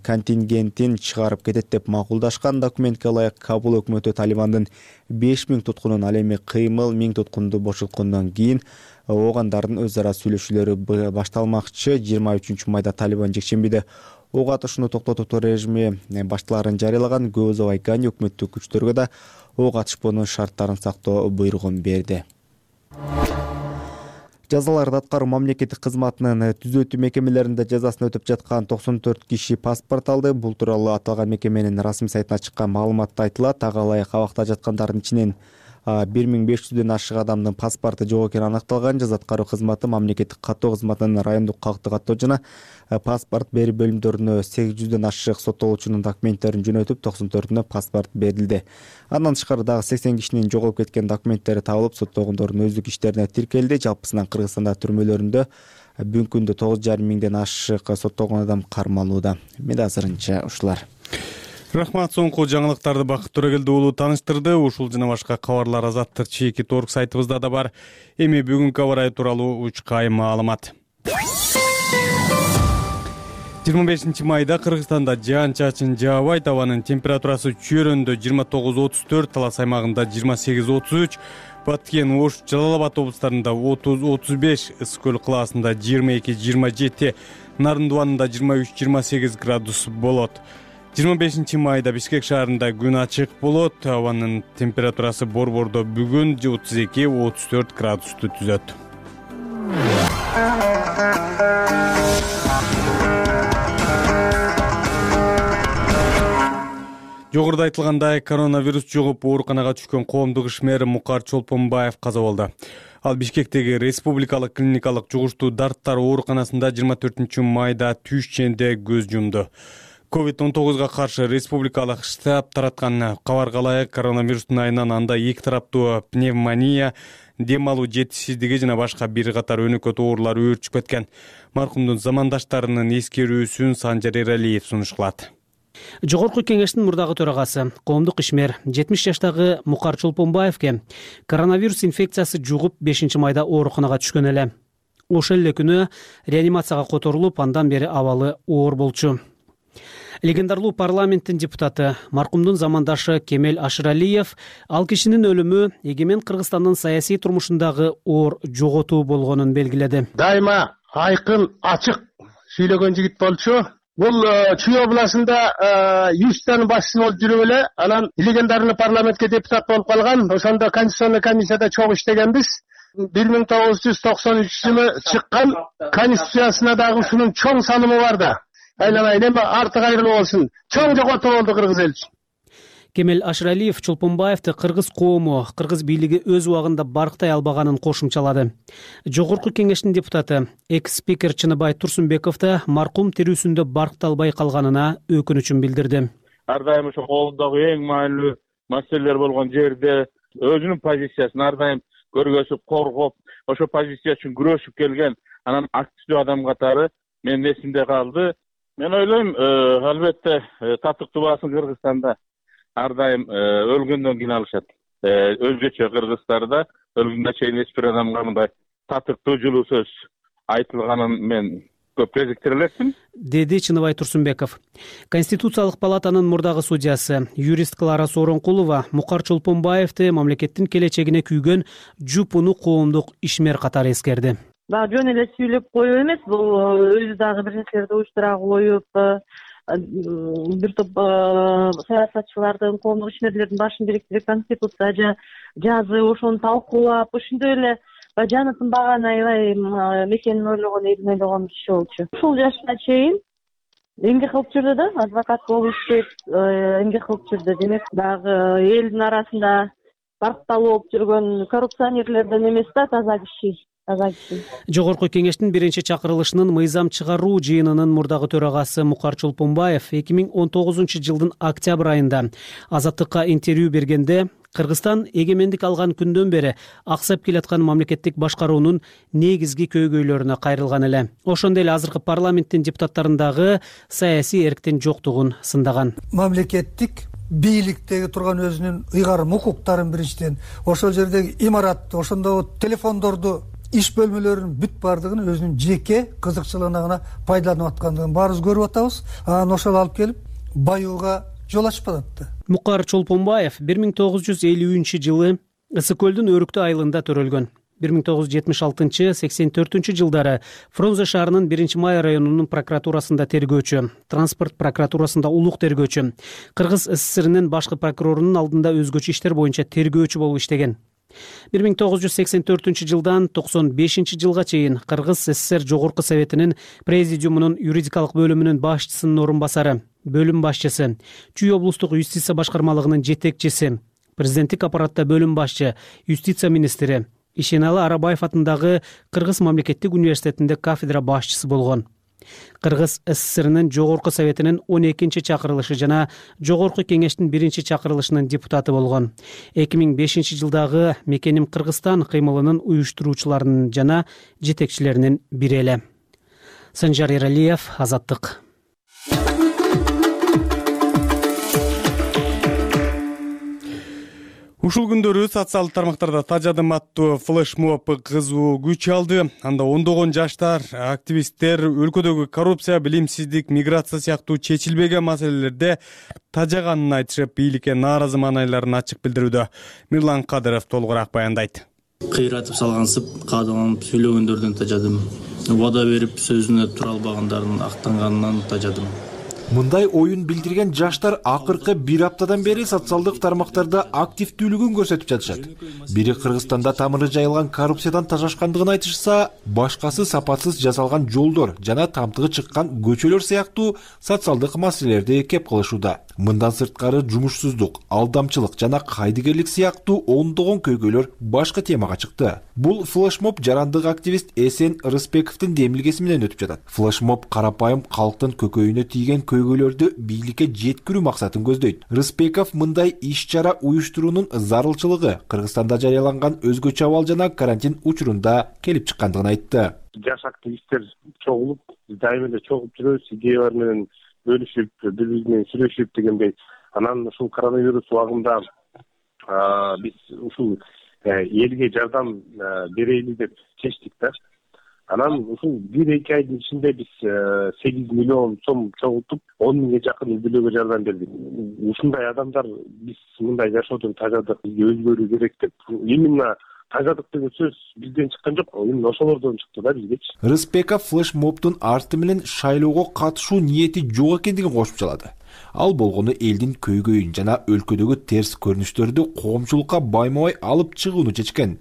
контингентин чыгарып кетет деп макулдашкан. Документке ылайык Кабул өкмөтү Талибандын беш миң туткунун, ал эми кыймыл миң туткунду бошоткондон кийин оогандардын өз ара сүйлөшүүлөрү башталмакчы. жыйырма үчүнчү майда Талибан жекшембиде ок атышууну токтотуу режими башталарын жарыялаган. Көп узабай Гани өкмөттүк күчтөргө да ок атышпоонун шарттарын сактоо буйругун берди. Жазаларды аткаруу мамлекеттик кызматынын түзөтүү мекемелеринде жазасын өтөп жаткан токсон төрт киши паспорт алды. Бул тууралуу аталган мекеменин расмий сайтына чыккан маалыматта айтылат. Ага ылайык абакта жаткандардын ичинен бир миң беш жүздөн ашык адамдын паспорту жок экени аныкталган. Жаза аткаруу кызматы мамлекеттик каттоо кызматынын райондук калкты каттоо жана паспорт берүү бөлүмдөрүнө сегиз жүздөн ашык соттолуучунун документтерин жөнөтүп, токсон төртүнө паспорт берилди. Андан тышкары дагы сексен кишинин жоголуп кеткен документтери табылып, соттолгондордун өздүк иштерине тиркелди. Жалпысынан Кыргызстанда түрмөлөрүндө бүгүнкү күндө тогуз жарым миңден ашык соттолгон адам кармалууда. Менде азырынча ушулар. Рахмат, соңку жаңылыктарды Бакыт Төрөгелди уулу тааныштырды. Ушул жана башка кабарлар Азаттык чеки торг сайтыбызда да бар. Эми бүгүнкү аба ырайы тууралуу учкай маалымат. жыйырма бешинчи майда Кыргызстанда жаан-чачын жаабайт, абанын температурасы Чөйрөндө жыйырма тогуз отуз төрт, Талас аймагында жыйырма сегиз отуз үч, Баткен, Ош, Жалал Абад облустарында отуз отуз беш, Ысык көл кылаасында жыйырма эки жыйырма жети, Нарындыбанында жыйырма үч жыйырма сегиз градус болот. жыйырма бешинчи майда Бишкек шаарында күн ачык болот. Абанын температурасы Борбордо бүгүн отуз эки отуз төрт градусту түзөт. Жогоруда айтылгандай, коронавирус жугуп ооруканага түшкөн коомдук ишмер Мукар Чолпонбаев каза болду. Ал Бишкектеги Республикалык клиникалык жугуштуу дарттар ооруканасында жыйырма төртүнчү майда түш ченде көз жумду. ковид он тогузга каршы республикалык штаб тараткан кабарга ылайык, коронавирустун айынан анда эки тараптуу пневмония, дем алуу жетишсиздиги жана башка бир катар өнөкөт оорулар өөрчүп кеткен. Маркумдун замандаштарынын эскерүүсүн Санжар Эралиев сунушталат. Жогорку кеңештин мурдагы төрагасы, коомдук ишмер жетимиш жаштагы Мукар Чолпонбаевке коронавирус инфекциясы жугуп бешинчи майда ооруканага түшкөн эле. Ошол эле күнү реанимацияга которулуп, андан бери абалы оор болчу. Легендарлуу парламенттин депутаты, маркумдун замандашы Кемел Ашыралиев ал кишинин өлүмү эгемен Кыргызстандын саясий турмушундагы оор жоготуу болгонун белгиледи. Дайыма айкын, ачык сүйлөгөн жигит болчу. Бул Чүй областында юстан башчысы болуп жүрүп эле, анан легендарный парламентке депутат болуп калган. Ошондо конституционный комиссияда чогуу иштегенбиз. бир миң тогуз жүз токсон үчүнчү жылы чыккан конституциясына дагы ушунун чоң санымы бар да. Айланайын, эми арты кайрылуу болсун. Чоң жоготуу болду кыргыз эл үчүн. Кемел Ашыралиев Чолпонбаевди кыргыз коому, кыргыз бийлиги өз убагында барктай албаганын кошумчалады. Жогорку кеңештин депутаты, экс-спикер Чыныбай Турсунбековду маркум тирүүсүндө баркталбай калганына өкүнүчүн билдирди. Ар дайым ошо коомдогу эң маанилүү маселелер болгон жерде өзүнүн позициясын ар дайым көргөзүп, коргоп, ошо позиция үчүн күрөшүп келген анан активдүү адам катары менин эсимде калды. Мен ойлойм, албетте татыктуу баасын Кыргызстанда ар дайым өлгөндөн кийин алышат. Өзгөчө Кыргызстанда өлгөнгө чейин эч бир адамга мындай татыктуу жылуу сөз айтылганын мен көп кезиктире элекмин, деди Чыныбай Турсунбеков. Конституциялык палатанын мурдагы судьясы, юрист Клара Сооронкулова Мукар Чолпонбаевди мамлекеттин келечегине күйгөн жупуну коомдук ишмер катары эскерди. Дагы жөн эле сүйлөп коюу эмес, бул өзү дагы бир нерселерди уюштура коюп, бир топ саясатчылардын, коомдук ишмерлердин башын бириктирип конституция жазып, ошону талкуулап, ошондой эле жанытын баганы аябай мекенин ойлогон, элин ойлогон киши болчу. Ушул жашына чейин эмгек кылып жүрдү да, адвокат болуп иштеп, эмгек кылып жүрдү. Демек, дагы элдин арасында баркталуу болуп жүргөн коррупционерлерден эмес да, таза киши. Жогорку кеңештин биринчи чакырылышынын мыйзам чыгаруу жыйынынын мурдагы төрагасы Мукар Чолпонбаев эки миң он тогузунчу жылдын октябрь айында Азаттыкка интервью бергенде Кыргызстан эгемендик алган күндөн бери аксап келаткан мамлекеттик башкаруунун негизги көйгөйлөрүнө кайрылган эле. Ошондой эле азыркы парламенттин депутаттарындагы саясий эрктин жоктугун сындаган. Мамлекеттик бийликтеги турган өзүнүн ыйгарым укуктарын биринчиден, ошол жердеги имаратты, ошондо телефондорду, иш бөлмөлөрүнүн бүт баардыгын өзүнүн жеке кызыкчылыгына гана пайдаланып аткандыгын баарыбыз көрүп атабыз. Анан ошол алып келип баюуга жол ачып атат. Мукар Чолпонбаев бир миң тогуз жүз элүүнчү жылы Ысык көлдүн Өрүктүү айылында төрөлгөн. бир миң тогуз жүз жетимиш алтынчы — сексен төртүнчү жылдары Фрунзе шаарынын биринчи май районунун прокуратурасында тергөөчү, транспорт прокуратурасында улук тергөөчү, Кыргыз СССРинин башкы прокурорунун алдында өзгөчө иштер боюнча тергөөчү болуп иштеген. бир миң тогуз жүз сексен төртүнчү жылдан токсон бешинчи жылга чейин Кыргыз СССР Жогорку Советинин Президиумунун юридикалык бөлүмүнүн башчысынын орун басары, бөлүм башчысы, Чүй облустук юстиция башкармалыгынын жетекчиси, президенттик аппаратта бөлүм башчы, юстиция министри, Ишеналы Арабаев атындагы Кыргыз мамлекеттик университетинде кафедра башчысы болгон. Кыргыз СССРинин Жогорку Советинин он экинчи чакырылышы жана Жогорку Кеңештин биринчи чакырылышынын депутаты болгон. эки миң бешинчи жылдагы Мекеним Кыргызстан кыймылынын уюштуруучуларынын жана жетекчилеринин бири эле. Санжар Эралиев, Азаттык. Ушул күндөрү социалдык тармактарда тажадым аттуу флешмоб кызуу күч алды. Анда ондогон жаштар, активисттер өлкөдөгү коррупция, билимсиздик, миграция сыяктуу чечилбеген маселелерде тажаганын айтышып, бийликке нааразы маанайларын ачык билдирүүдө. Мирлан Кадыров толугураак баяндайт. Кыйратып салгансып, каадаланып сүйлөгөндөрдөн тажадым. Убада берип сөзүнө тура албагандардын актанганынан тажадым. Мындай оюн билдирген жаштар акыркы бир аптадан бери социалдык тармактарда активдүүлүгүн көрсөтүп жатышат. Бири Кыргызстанда тамыры жайылган коррупциядан тажашкандыгын айтышса, башкасы сапатсыз жасалган жолдор жана тамтыгы чыккан көчөлөр сыяктуу социалдык маселелерди кеп кылышууда. Мындан сырткары жумушсуздук, алдамчылык жана кайдыгерлик сыяктуу ондогон көйгөйлөр башкы темага чыкты. Бул флешмоб жарандык активист Эсен Рысбековдун демилгеси менен өтүп жатат. Флешмоб карапайым калктын көкөйүнө тийген көйгөйлөрдү бийликке жеткирүү максатын көздөйт. Рысбеков мындай иш-чара уюштуруунун зарылчылыгы Кыргызстанда жарыяланган өзгөчө абал жана карантин учурунда келип чыккандыгын айтты. Жаш активисттер чогулуп, дайыма эле чогулуп жүрөбүз, идеялар менен бөлүшүп, бири-бири менен сүйлөшүп дегендей. Анан ушул коронавирус убагында биз ушул элге жардам берели деп чечтик да. Анан ушул бир-эки айдын ичинде биз сегиз миллион сом чогултуп, он миңге жакын үй бүлөгө жардам бердик. Ушундай адамдар биз мындай жашоодон тажадык, бизге өзгөрүү керек деп. Именно тажадык деген сөз бизден чыккан жок, именно ошолордон чыкты да бизгечи. Рыспеков флешмобдун арты менен шайлоого катышуу ниети жок экендигин кошуп чалады. Ал болгону элдин көйгөйүн жана өлкөдөгү терс көрүнүштөрдү коомчулукка байма-бай алып чыгууну чечкен.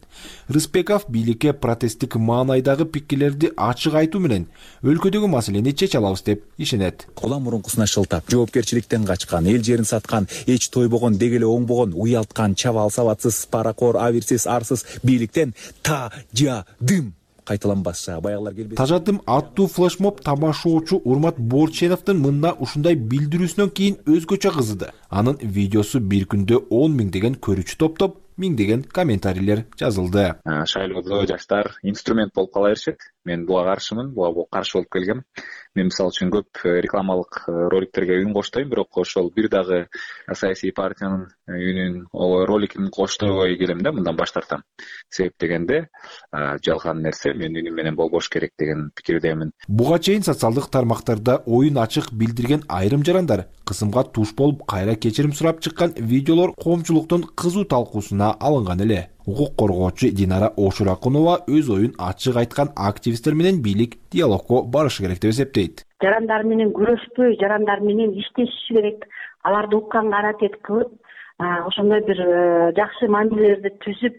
Рыспеков бийликке протесттик маанайдагы пикирлерди ачык айтуу менен өлкөдөгү маселени чече алабыз деп ишенет. Улам мурункусуна шылтап, жоопкерчиликтен качкан, эл жерин саткан, эч тойбогон, дегеле оңбогон, уялткан, чабал сабатсыз, паракор, абирсиз, арсыз бийликтен тажадым кайталанбаса баягылар келбейт. Тажадым аттуу флешмоб тамашоочу Урмат Борченовдун мында ушундай билдирүүсүнөн кийин өзгөчө кызыды. Анын видеосу бир күндө он миң деген көрүүчү топтоп, миңдеген комментарийлер жазылды. Шайлоодо жаштар инструмент болуп кала беришет. Мен буга каршымын, буга каршы болуп келгем. Мен мисалы үчүн көп рекламалык роликтерге үн коштойм, бирок ошол бир дагы саясий партиянын үнүн, роликин коштойбой келем да, мындан баш тартам. Себеп дегенде жалган нерсе менин үнүм менен болбош керек деген пикирдемин. Буга чейин социалдык тармактарда оюн ачык билдирген айрым жарандар кысымга туш болуп кайра кечирим сурап чыккан видеолор коомчулуктун кызуу талкуусуна алынган эле. Укук коргоочу Динара Ошуракунова өз оюн ачык айткан активисттер менен бийлик диалогко барышы керек деп эсептейт. Жарандар менен күрөшпөй, жарандар менен иштешиш керек. Аларды укканга аракет кылып, ошондой бир жакшы мамилелерди түзүп,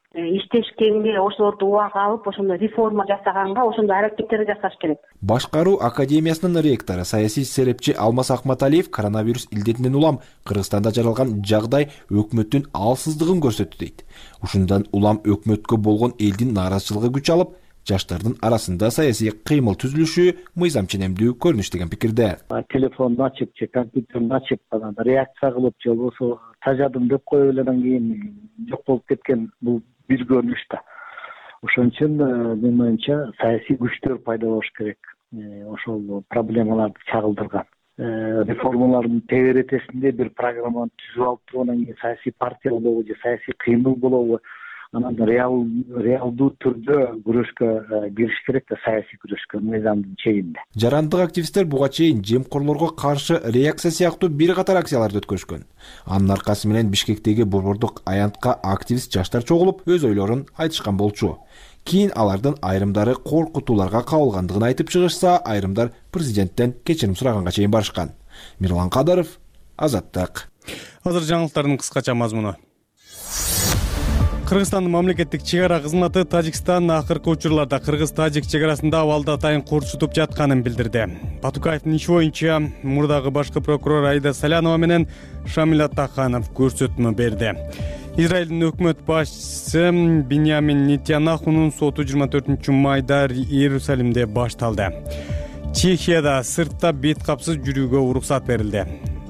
иштешкенге, ошолорду убага алып, ошондой реформа жасаганга, ошондой аракеттерди жасаш керек. Башкаруу академиясынын ректору, саясий серепчи Алмаз Акматалиев коронавирус илдетинен улам Кыргызстанда жаралган жагдай өкмөттүн алсыздыгын көрсөттү дейт. Ушундан улам өкмөткө болгон элдин нааразычылыгы күч алып, жаштардын арасында саясий кыймыл түзүлүшү мыйзам ченемдүү көрүнүш деген пикирде. Телефонду ачып же компьютерди ачып анан реакция кылып же болбосо тажадым деп коюп эле анан кийин жок болуп кеткен бул бир көрүнүш да. Ошон үчүн менин оюмча саясий күчтөр пайда болуш керек. Ошол проблемаларды чагылдырган. Реформалардын тегеретесинде бир программаны түзүп алып туруп анан кийин саясий партия болобу же саясий кыймыл болобу анан реал реалдуу түрдө күрөшкө кириш керек да, саясий күрөшкө мыйзамдын чегинде. Жарандык активисттер буга чейин жемкорлорго каршы реакция сыяктуу бир катар акцияларды өткөрүшкөн. Анын аркасы менен Бишкектеги борбордук аянтка активист жаштар чогулуп өз ойлорун айтышкан болчу. Кийин алардын айрымдары коркутууларга кабылгандыгын айтып чыгышса, айрымдар президенттен кечирим сураганга чейин барышкан. Мирлан Кадаров, Азаттык. Азыр жаңылыктардын кыскача мазмуну. Кыргызстандын мамлекеттик чек ара кызматы Тажикстан акыркы учурларда кыргыз-тажик чек арасында абалды атайын корчутуп жатканын билдирди. Батукаевдин иши боюнча мурдагы башкы прокурор Айда Салянова менен Шамил Атаханов көрсөтмө берди. Израилдин өкмөт башчысы Биньямин Нетаньяхунун соту жыйырма төртүнчү майда Иерусалимде башталды. Чехияда сыртта бет капсыз жүрүүгө уруксат берилди.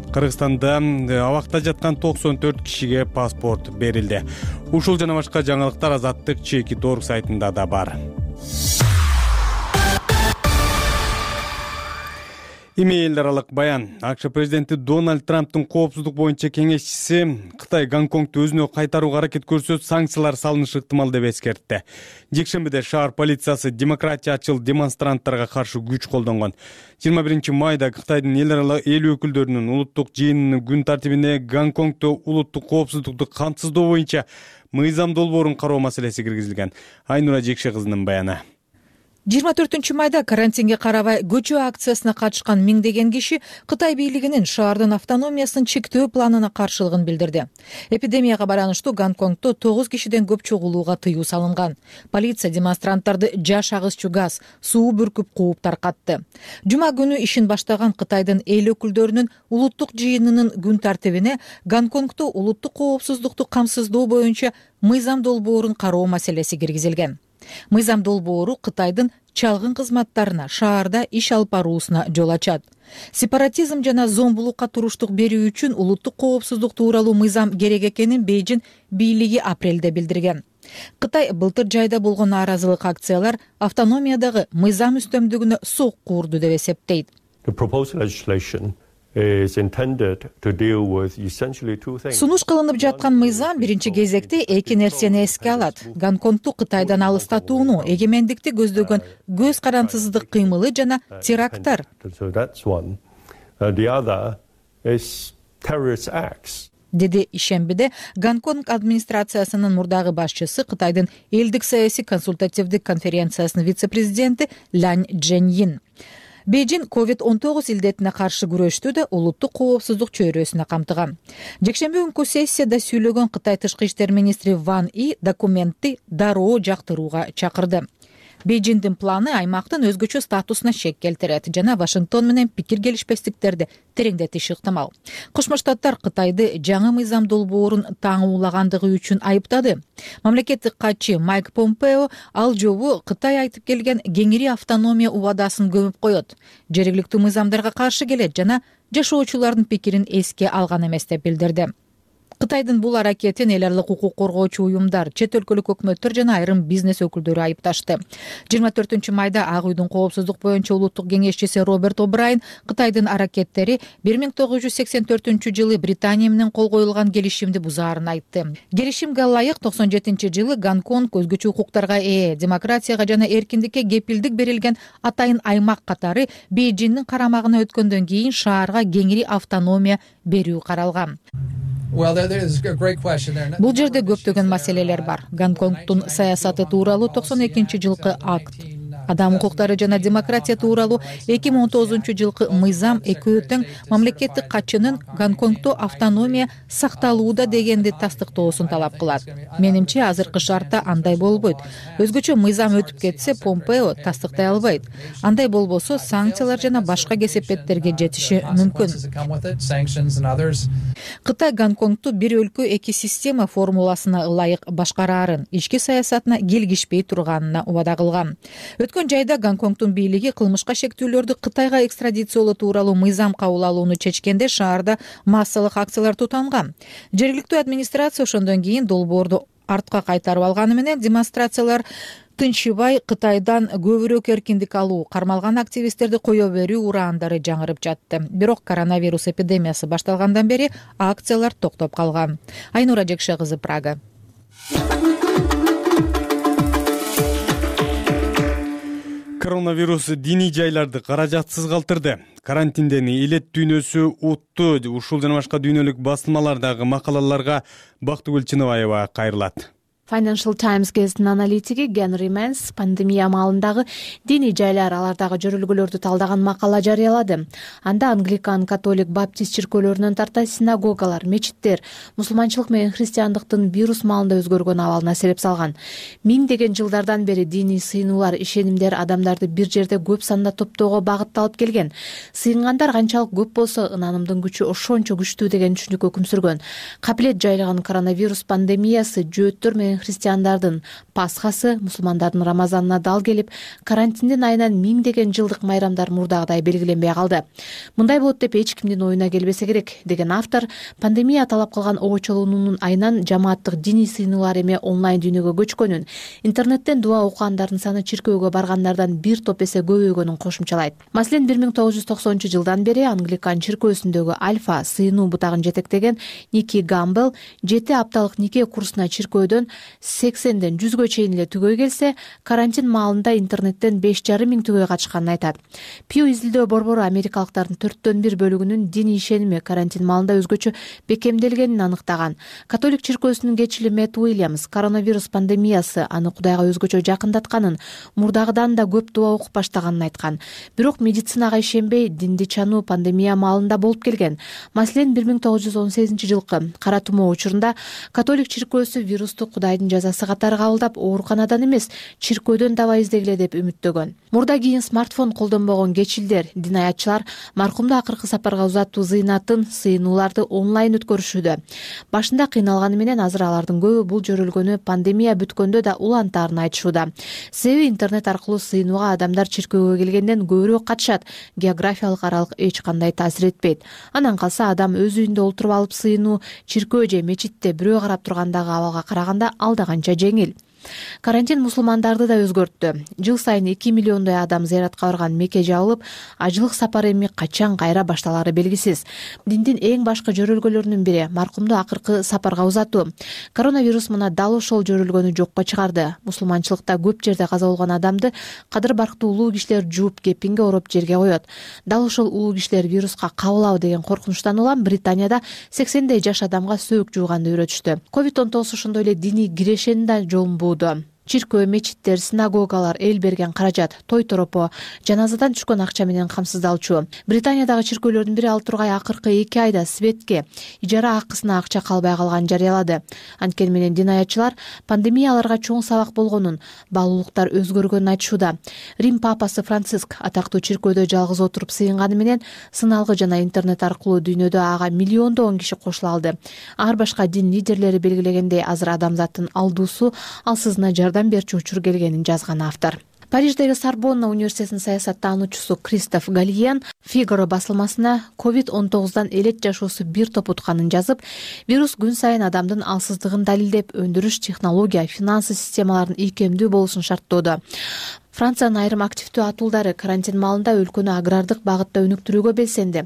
Кыргызстанда абакта жаткан токсон төрт кишиге паспорт берилди. Ушул жана башка жаңылыктар Азаттык Чекит орг сайтында да бар. Эми элдер аралык баян. АКШ президенти Дональд Трамптын коопсуздук боюнча кеңешчиси Кытай Гонконгду өзүнө кайтарууга аракет көрсө, санкциялар салынышы ыктымал деп эскертти. Жекшембиде шаар полициясы демократиячыл демонстранттарга каршы күч колдонгон. жыйырма биринчи майда Кытайдын эл аралык эл өкүлдөрүнүн улуттук жыйынынын күн тартибине Гонконгдо улуттук коопсуздукту камсыздоо боюнча мыйзам долбоорун кароо маселеси киргизилген. Айнура Жекше кызынын баяны. жыйырма төртүнчү майда карантинге карабай көчө акциясына катышкан миңдеген киши Кытай бийлигинин шаардын автономиясын чектөө планына каршылыгын билдирди. Эпидемияга байланыштуу Гонконгдо тогуз кишиден көп чогулууга тыюу салынган. Полиция демонстранттарды жаш агызчу газ, суу бүркүп кууп таркатты. Жума күнү ишин баштаган Кытайдын эл өкүлдөрүнүн улуттук жыйынынын күн тартибине Гонконгдо улуттук коопсуздукту камсыздоо боюнча мыйзам долбоорун кароо маселеси киргизилген. Мыйзам долбоору Кытайдын чалгын кызматтарына шаарда иш алып баруусуна жол ачат. Сепаратизм жана зомбулукка туруштук берүү үчүн улуттук коопсуздук тууралуу мыйзам керек экенин Бейжин бийлиги апрелде билдирген. Кытай былтыр жайда болгон нааразылык акциялар автономиядагы мыйзам үстөмдүгүнө сокку урду деп эсептейт. Сунуш кылынып жаткан мыйзам биринчи кезекте эки нерсени эске алат. Гонконгду Кытайдан алыстатууну, эгемендикти көздөгөн көз карандысыздык кыймылы жана теракттар. Деди ишембиде Гонконг администрациясынын мурдагы башчысы, Кытайдын элдик саясий консультативдик конференциясынын вице-президенти Лань Чжэньин. Бейжин ковид он тогуз илдетине каршы күрөштү да улуттук коопсуздук чөйрөсүнө камтыган. Жекшемби күнкү сессияда сүйлөгөн Кытай тышкы иштер министри Ван И документти дароо жактырууга чакырды. Бейжиндин планы аймактын өзгөчө статусуна шек келтирет жана Вашингтон менен пикир келишпестиктерди тереңдетиши ыктымал. Кошмо Штаттар Кытайды жаңы мыйзам долбоорун таңуулагандыгы үчүн айыптады. Мамлекеттик катчы Майк Помпео ал жобу Кытай айтып келген кеңири автономия убадасын көмүп коет. Жергиликтүү мыйзамдарга каршы келет жана жашоочулардын пикирин эске алган эмес деп билдирди. Кытайдын бул аракетин эл аралык укук коргоочу уюмдар, чет өлкөлүк өкмөттөр жана айрым бизнес өкүлдөрү айыпташты. жыйырма төртүнчү майда Ак үйдүн коопсуздук боюнча улуттук кеңешчиси Роберт О'Брайен Кытайдын аракеттери бир миң тогуз жүз сексен төртүнчү жылы Британия менен кол коюлган келишимди бузаарын айтты. Келишимге ылайык токсон жетинчи жылы Гонконг өзгөчө укуктарга ээ, демократияга жана эркиндикке кепилдик берилген атайын аймак катары Бейжиндин карамагына өткөндөн кийин шаарга кеңири автономия берүү каралган. Бул жерде көптөгөн маселелер бар. Гонконгдун саясаты тууралуу токсон экинчи жылкы акт, Адам укуктары жана демократия тууралуу эки миң он тогузунчу жылкы мыйзам экөө тең мамлекеттик катчынын Гонконгдо автономия сакталууда дегенди тастыктоосун талап кылат. Менимче азыркы шартта андай болбойт. Өзгөчө мыйзам өтүп кетсе, Помпео тастыктай албайт. Андай болбосо санкциялар жана башка кесепеттерге жетиши мүмкүн. Кытай Гонконгду бир өлкө эки система формуласына ылайык башкараарын, ички саясатына келгишпей турганына убада кылган. Өткөн жайда Гонконгдун бийлиги кылмышка шектүүлөрдү Кытайга экстрадициялоо тууралуу мыйзам кабыл алууну чечкенде шаарда массалык акциялар тутанган. Жергиликтүү администрация ошондон кийин долбоорду артка кайтарып алганы менен демонстрациялар тынчыбай Кытайдан көбүрөөк эркиндик алуу, кармалган активисттерди кое берүү ураандары жаңырып жатты. Бирок коронавирус эпидемиясы башталгандан бери акциялар токтоп калган. Айнура Жекше кызы, Прага. Коронавирус диний жайларды каражатсыз калтырды. Карантинден элет дүйнөсү утту. Ушул жана башка дүйнөлүк басылмалардагы макалаларга Бактыгүл Чыныбаева кайрылат. Financial Times гезитинин аналитиги Генри Менс пандемия маалындагы диний жайлар, алардагы жөрөлгөлөрдү талдаган макала жарыялады. Анда англикан, католик, баптист чиркөөлөрүнөн тарта синагогалар, мечиттер мусулманчылык менен христиандыктын вирус маалында өзгөргөн абалына себеп салган. Миңдеген жылдардан бери диний сыйынуулар, ишенимдер адамдарды бир жерде көп санда топтоого багытталып келген. Сыйынгандар канчалык көп болсо, ынанымдын күчү ошончо күчтүү деген түшүнүккө өкүм сүргөн. Капилет жайлаган коронавирус пандемиясы жөөттөр менен христиандардын пасхасы, мусулмандардын рамазанына дал келип, карантиндин айынан миңдеген жылдык майрамдар мурдагыдай белгиленбей калды. Мындай болот деп эч кимдин оюна келбесе керек, деген автор, пандемия талап кылган обочолуунун айынан жамааттык диний сыйынуулар эми онлайн дүйнөгө көчкөнүн, интернеттен дуа окугандардын саны чиркөөгө баргандардан бир топ эсе көбөйгөнүн кошумчалайт. Маселен, бир миң тогуз жүз токсонунчу жылдан бери англикан чиркөөсүндөгү альфа сыйынуу бутагын жетектеген Ники Гамбел жети апталык нике курсуна чиркөөдөн сексенден жүзгө чейин эле түгөй келсе, карантин маалында интернеттен беш жарым миң түгөй катышканын айтат. Пью изилдөө борбору америкалыктардын төрттөн бир бөлүгүнүн диний ишеними карантин маалында өзгөчө бекемделгенин аныктаган. Католик чиркөөсүнүн кечили Мэтт Уильямс коронавирус пандемиясы аны Кудайга өзгөчө жакындатканын, мурдагыдан да көп дуа окуп баштаганын айткан. Бирок медицинага ишенбей, динди чануу пандемия маалында болуп келген. Маселен, бир миң тогуз жүз он сегизинчи жылкы кара тумоо учурунда католик чиркөөсү вирусту Кудайдын жазасы катары кабылдап, ооруканадан эмес, чиркөөдөн таба издегиле деп үмүттөгөн. Мурда кийин смартфон колдонбогон кечилдер, дин аятчылар маркумду акыркы сапарга узатуу зыйнатын, сыйынууларды онлайн өткөрүшүүдө. Башында кыйналганы менен азыр алардын көбү бул жөрөлгөнү пандемия бүткөндө да улантаарын айтышууда. Себеби интернет аркылуу сыйынууга адамдар чиркөөгө келгенден көбүрөөк катышат, географиялык аралык эч кандай таасир этпейт. Анан калса адам өз үйүндө олтуруп алып сыйынуу чиркөө же мечитте бирөө карап тургандагы абалга караганда алда канча жеңил. Карантин мусулмандарды да өзгөрттү. Жыл сайын эки миллиондой адам зыяратка барган Мекке жабылып, ажылык сапары эми качан кайра башталары белгисиз. Диндин эң башкы жөрөлгөлөрүнүн бири маркумду акыркы сапарга узатуу. Коронавирус мына дал ошол жөрөлгөнү жокко чыгарды. Мусулманчылыкта көп жерде каза болгон адамды кадыр барктуу улуу кишилер жууп, кепинге ороп жерге коет. Дал ошол улуу кишилер вируска кабылабы деген коркунучтан улам Британияда сексендей жаш адамга сөөк жууганды үйрөтүштү. ковид он тогуз ошондой эле диний кирешенин да жолун буу. Чиркөө, мечиттер, синагогалар эл берген каражат, той торопо, жаназадан түшкөн акча менен камсыздалчу. Британиядагы чиркөөлөрдүн бири ал тургай акыркы эки айда светке, ижара акысына акча калбай калганын жарыялады. Анткени менен дин аятчылар пандемия аларга чоң сабак болгонун, баалуулуктар өзгөргөнүн айтышууда. Рим папасы Франциск атактуу чиркөөдө жалгыз отуруп сыйынганы менен сыналгы жана интернет аркылуу дүйнөдө ага миллиондогон киши кошула алды. Ар башка дин лидерлери белгилегендей, азыр адамзаттын алдуусу алсызына жардам берчү учур келгенин жазган автор. Париждеги Сорбонна университетинин саясаттануучусу Кристоф Галиен Фигаро басылмасына ковид он тогуздан элет жашоосу бир топ утканын жазып, вирус күн сайын адамдын алсыздыгын далилдеп, өндүрүш, технология, финансы системаларынын ийкемдүү болушун шарттоодо. Франциянын айрым активдүү атуулдары карантин маалында өлкөнү агрардык багытта өнүктүрүүгө белсенди.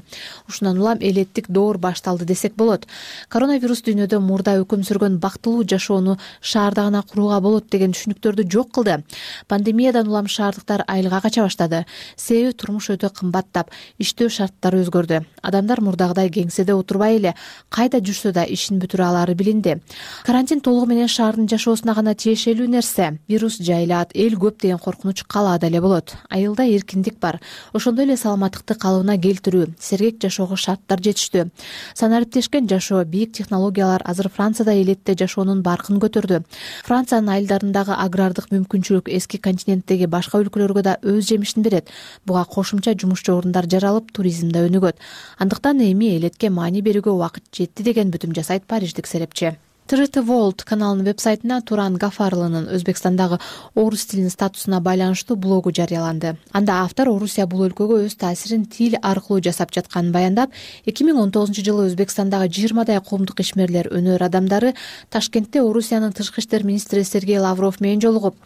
Ушундан улам элеттик доор башталды десек болот. Коронавирус дүйнөдө мурда өкүм сүргөн бактылуу жашоону шаарда гана курууга болот деген түшүнүктөрдү жок кылды. Пандемиядан улам шаардыктар айылга кача баштады. Себеби турмуш өтө кымбаттап, иштөө шарттары өзгөрдү. Адамдар мурдагыдай кеңседе отурбай эле кайда жүрсө да ишин бүтүрө алары билинди. Карантин толугу менен шаардын жашоосуна гана тиешелүү нерсе. Вирус жайлаат, эл көп деген коркунуч калаада эле болот. Айылда эркиндик бар. Ошондой эле саламаттыкты калыбына келтирүү, сергек жашоого шарттар жетиштүү. Санариптешкен жашоо, бийик технологиялар азыр Францияда элетте жашоонун баркын көтөрдү. Франциянын айылдарындагы агрардык мүмкүнчүлүк эски континенттеги башка өлкөлөргө да өз жемишин берет. Буга кошумча жумушчу орундар жаралып, туризм да өнүгөт. Андыктан эми элетке маани берүүгө убакыт жетти деген бүтүм жасайт париждик серепчи. тэ тэ World каналынын вебсайтына Туран Гафарлынын Өзбекстандагы орус тилинин статусуна байланыштуу блогу жарыяланды. Анда автор Орусия бул өлкөгө өз таасирин тил аркылуу жасап жатканын баяндап, эки миң он тогузунчу жылы Өзбекстандагы жыйырмадай коомдук ишмерлер, өнөр адамдары Ташкентте Орусиянын тышкы иштер министри Сергей Лавров менен жолугуп,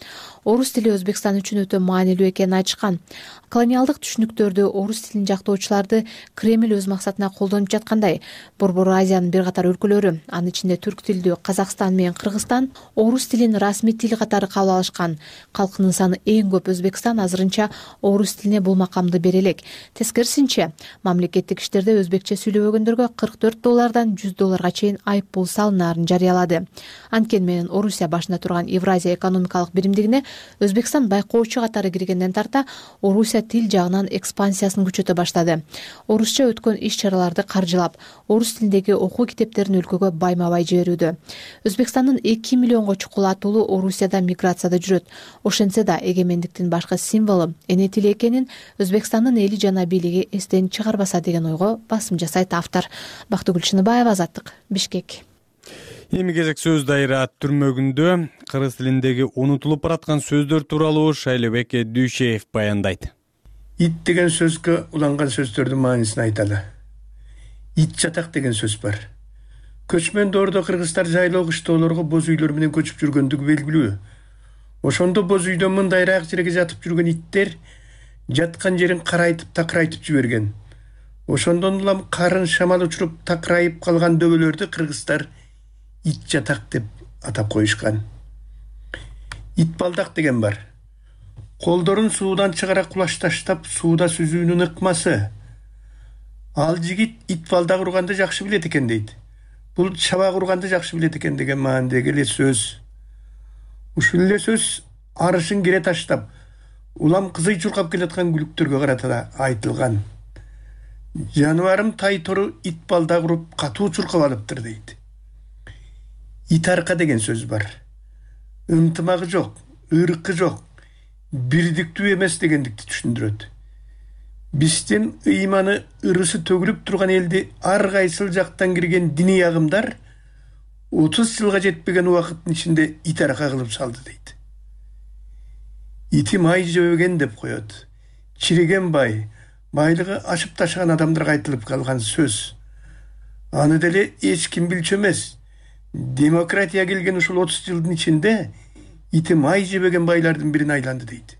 орус тили Өзбекстан үчүн өтө маанилүү экенин айтышкан. Колониалдык түшүнүктөрдү, орус тилин жактоочуларды Кремль өз максатына колдонуп жаткандай, Борбор Азиянын бир катар өлкөлөрү, анын ичинде түрк тилдүү Казакстан менен Кыргызстан орус тилин расмий тил катары кабыл алышкан. Калкынын саны эң көп Өзбекстан азырынча орус тилине бул макамды бере элек. Тескерисинче, мамлекеттик иштерде өзбекче сүйлөгөндөргө кырк төрт доллардан жүз долларга чейин айып пул салынаарын жарыялады. Анткени менен Орусия башында турган Евразия экономикалык биримдигине Өзбекстан байкоочу катары киргенден тарта Орусия тил жагынан экспансиясын күчөтө баштады. Орусча өткөн иш-чараларды каржылап, орус тилиндеги окуу китептерин өлкөгө байма-бай жиберүүдө. Өзбекстандын эки миллионго чукул атуулу Орусияда миграцияда жүрөт. Ошентсе да эгемендиктин башкы символу эне тили экенин Өзбекстандын эли жана бийлиги эстен чыгарбаса деген ойго басым жасайт автор. Бактыгүл Чыныбаева, Азаттык, Бишкек. Эми кезек сөз дайра түрмөгүндө кыргыз тилиндеги унутулуп бараткан сөздөр тууралуу Шайлебек Дүйшеев баяндайт. Ит деген сөзгө уланган сөздөрдүн маанисин айталы. Ит жатак деген сөз бар. Көчмөн доордо кыргыздар жайлоо кыштоолорго боз үйлөр менен көчүп жүргөндүгү белгилүү. Ошондо боз үйдөн мындайраак жерге жатып жүргөн иттер жаткан жерин карайтып такырайтып жиберген. Ошондон улам карын шамал учуруп такырайып калган дөбөлөрдү кыргыздар ит жатак деп атап коюшкан. Ит балдак деген бар. Колдорун суудан чыгара кулаш таштап сууда сүзүүнүн ыкмасы. Ал жигит ит балдак урганды жакшы билет экен дейт. Бул чабак урганды жакшы билет экен деген маанидеги эле сөз. Ушул эле сөз арышын кере таштап, улам кызый чуркап келаткан күлүктөргө карата айтылган. Жаныбарым тай тору ит балдак уруп катуу чуркап алыптыр дейт. Ит арка деген сөз бар. Ынтымагы жок, ыркы жок, бирдиктүү эмес дегендикти түшүндүрөт. Биздин ыйманы ырысы төгүлүп турган элди ар кайсыл жактан кирген диний агымдар отуз жылга жетпеген убакыттын ичинде ит арка кылып салды дейт. Ити май жебеген деп коет. Чириген бай, байлыгы ашып ташыган адамдарга айтылып калган сөз. Аны деле эч ким билчү эмес. Демократия келген ушул отуз жылдын ичинде ити май жебеген байлардын бирине айланды дейт.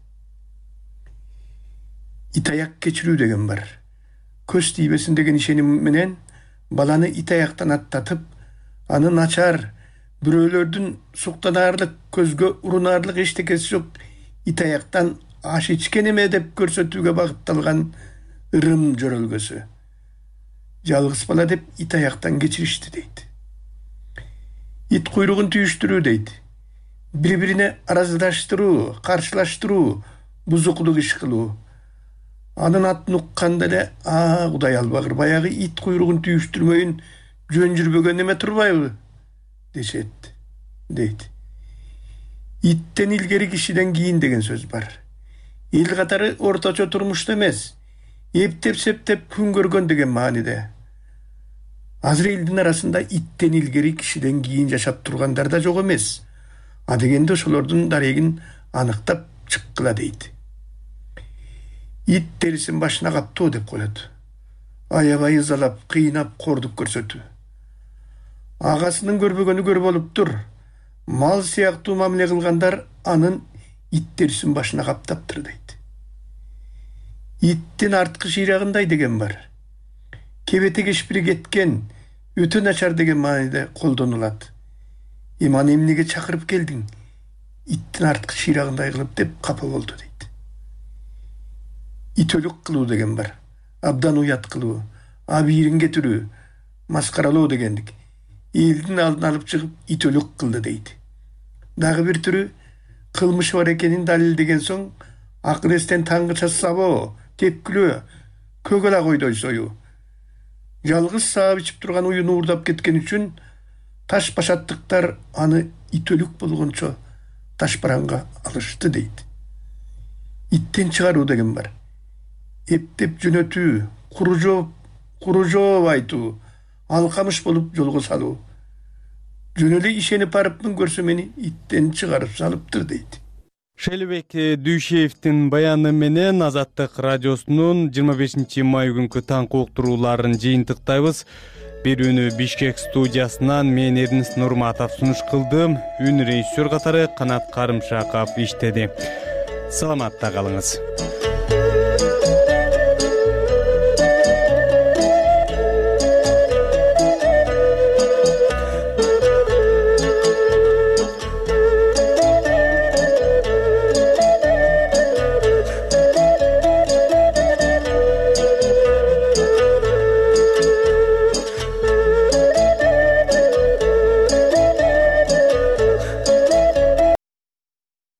Итаяк кечирүү деген бар. Көз тийбесин деген ишеним менен баланы итаяктан аттатып, аны начар, бирөөлөрдүн суктанаарлык, көзгө урунарлык эчтекеси жок итаяктан аш ичкен эме деп көрсөтүүгө багытталган ырым жөрөлгөсү. Жалгыз бала деп итаяктан кечиришти дейт. Ит куйругун түйүштүрүү дейт. Бири-бирине араздаштыруу, каршылаштыруу, бузукулук иш кылуу. Анын атын укканда эле, а Кудай албагыр, баягы ит куйругун түйүштүрмөйүн жөн жүрбөгөн эме турбайбы дешет, дейт. Иттен илгери кишиден кийин деген сөз бар. Эл катары орточо турмушта эмес, эптеп-септеп күн көргөн деген мааниде. Азыр элдин арасында иттен илгери кишиден кийин жашап тургандар да жок эмес. А дегенде ошолордун дарегин аныктап чыккыла дейт. Ит терисин башына каптоо деп коет. Аябай ызалап, кыйнап, кордук көрсөтүү. Агасынын көрбөгөнү көр болуптур. Мал сыяктуу мамиле кылгандар анын ит терисин башына каптаптыр дейт. Иттин арткы шыйрагындай деген бар. Кебете кешпири кеткен, өтө начар деген мааниде колдонулат. Эман эмнеге чакырып келдиң? Иттин арткы шыйрагындай кылып деп капа болду дейт. Итөлүк кылуу деген бар. Абдан уят кылуу, абийирин кетирүү, маскаралоо дегендик. Элдин алдын алып чыгып итөлүк кылды дейт. Дагы бир түрү кылмышы бар экенин далилдеген соң акыр эстен таңгыча сабоо, тепкилөө, көгала койдой сою. Жалгыз саап ичип турган уюну уурдап кеткен үчүн таш башаттыктар аны итөлүк болгончо таш бараңга алышты дейт. Иттен чыгаруу деген бар. Эптеп жөнөтүү, куру жооп, куру жооп айтуу, алкамыш болуп жолго салуу. Жөн эле ишенип барыпмын, көрсө мени иттен чыгарып салыптыр дейт. Шелебек Дүйшеевдин баяны менен Азаттык радиосунун жыйырма бешинчи май күнкү таңкы уктурууларын жыйынтыктайбыз. Берүүнү Бишкек студиясынан мен Эрнис Нурматов сунуш кылдым. Үн режиссер катары Канат Карымшаков иштеди. Саламатта калыңыз.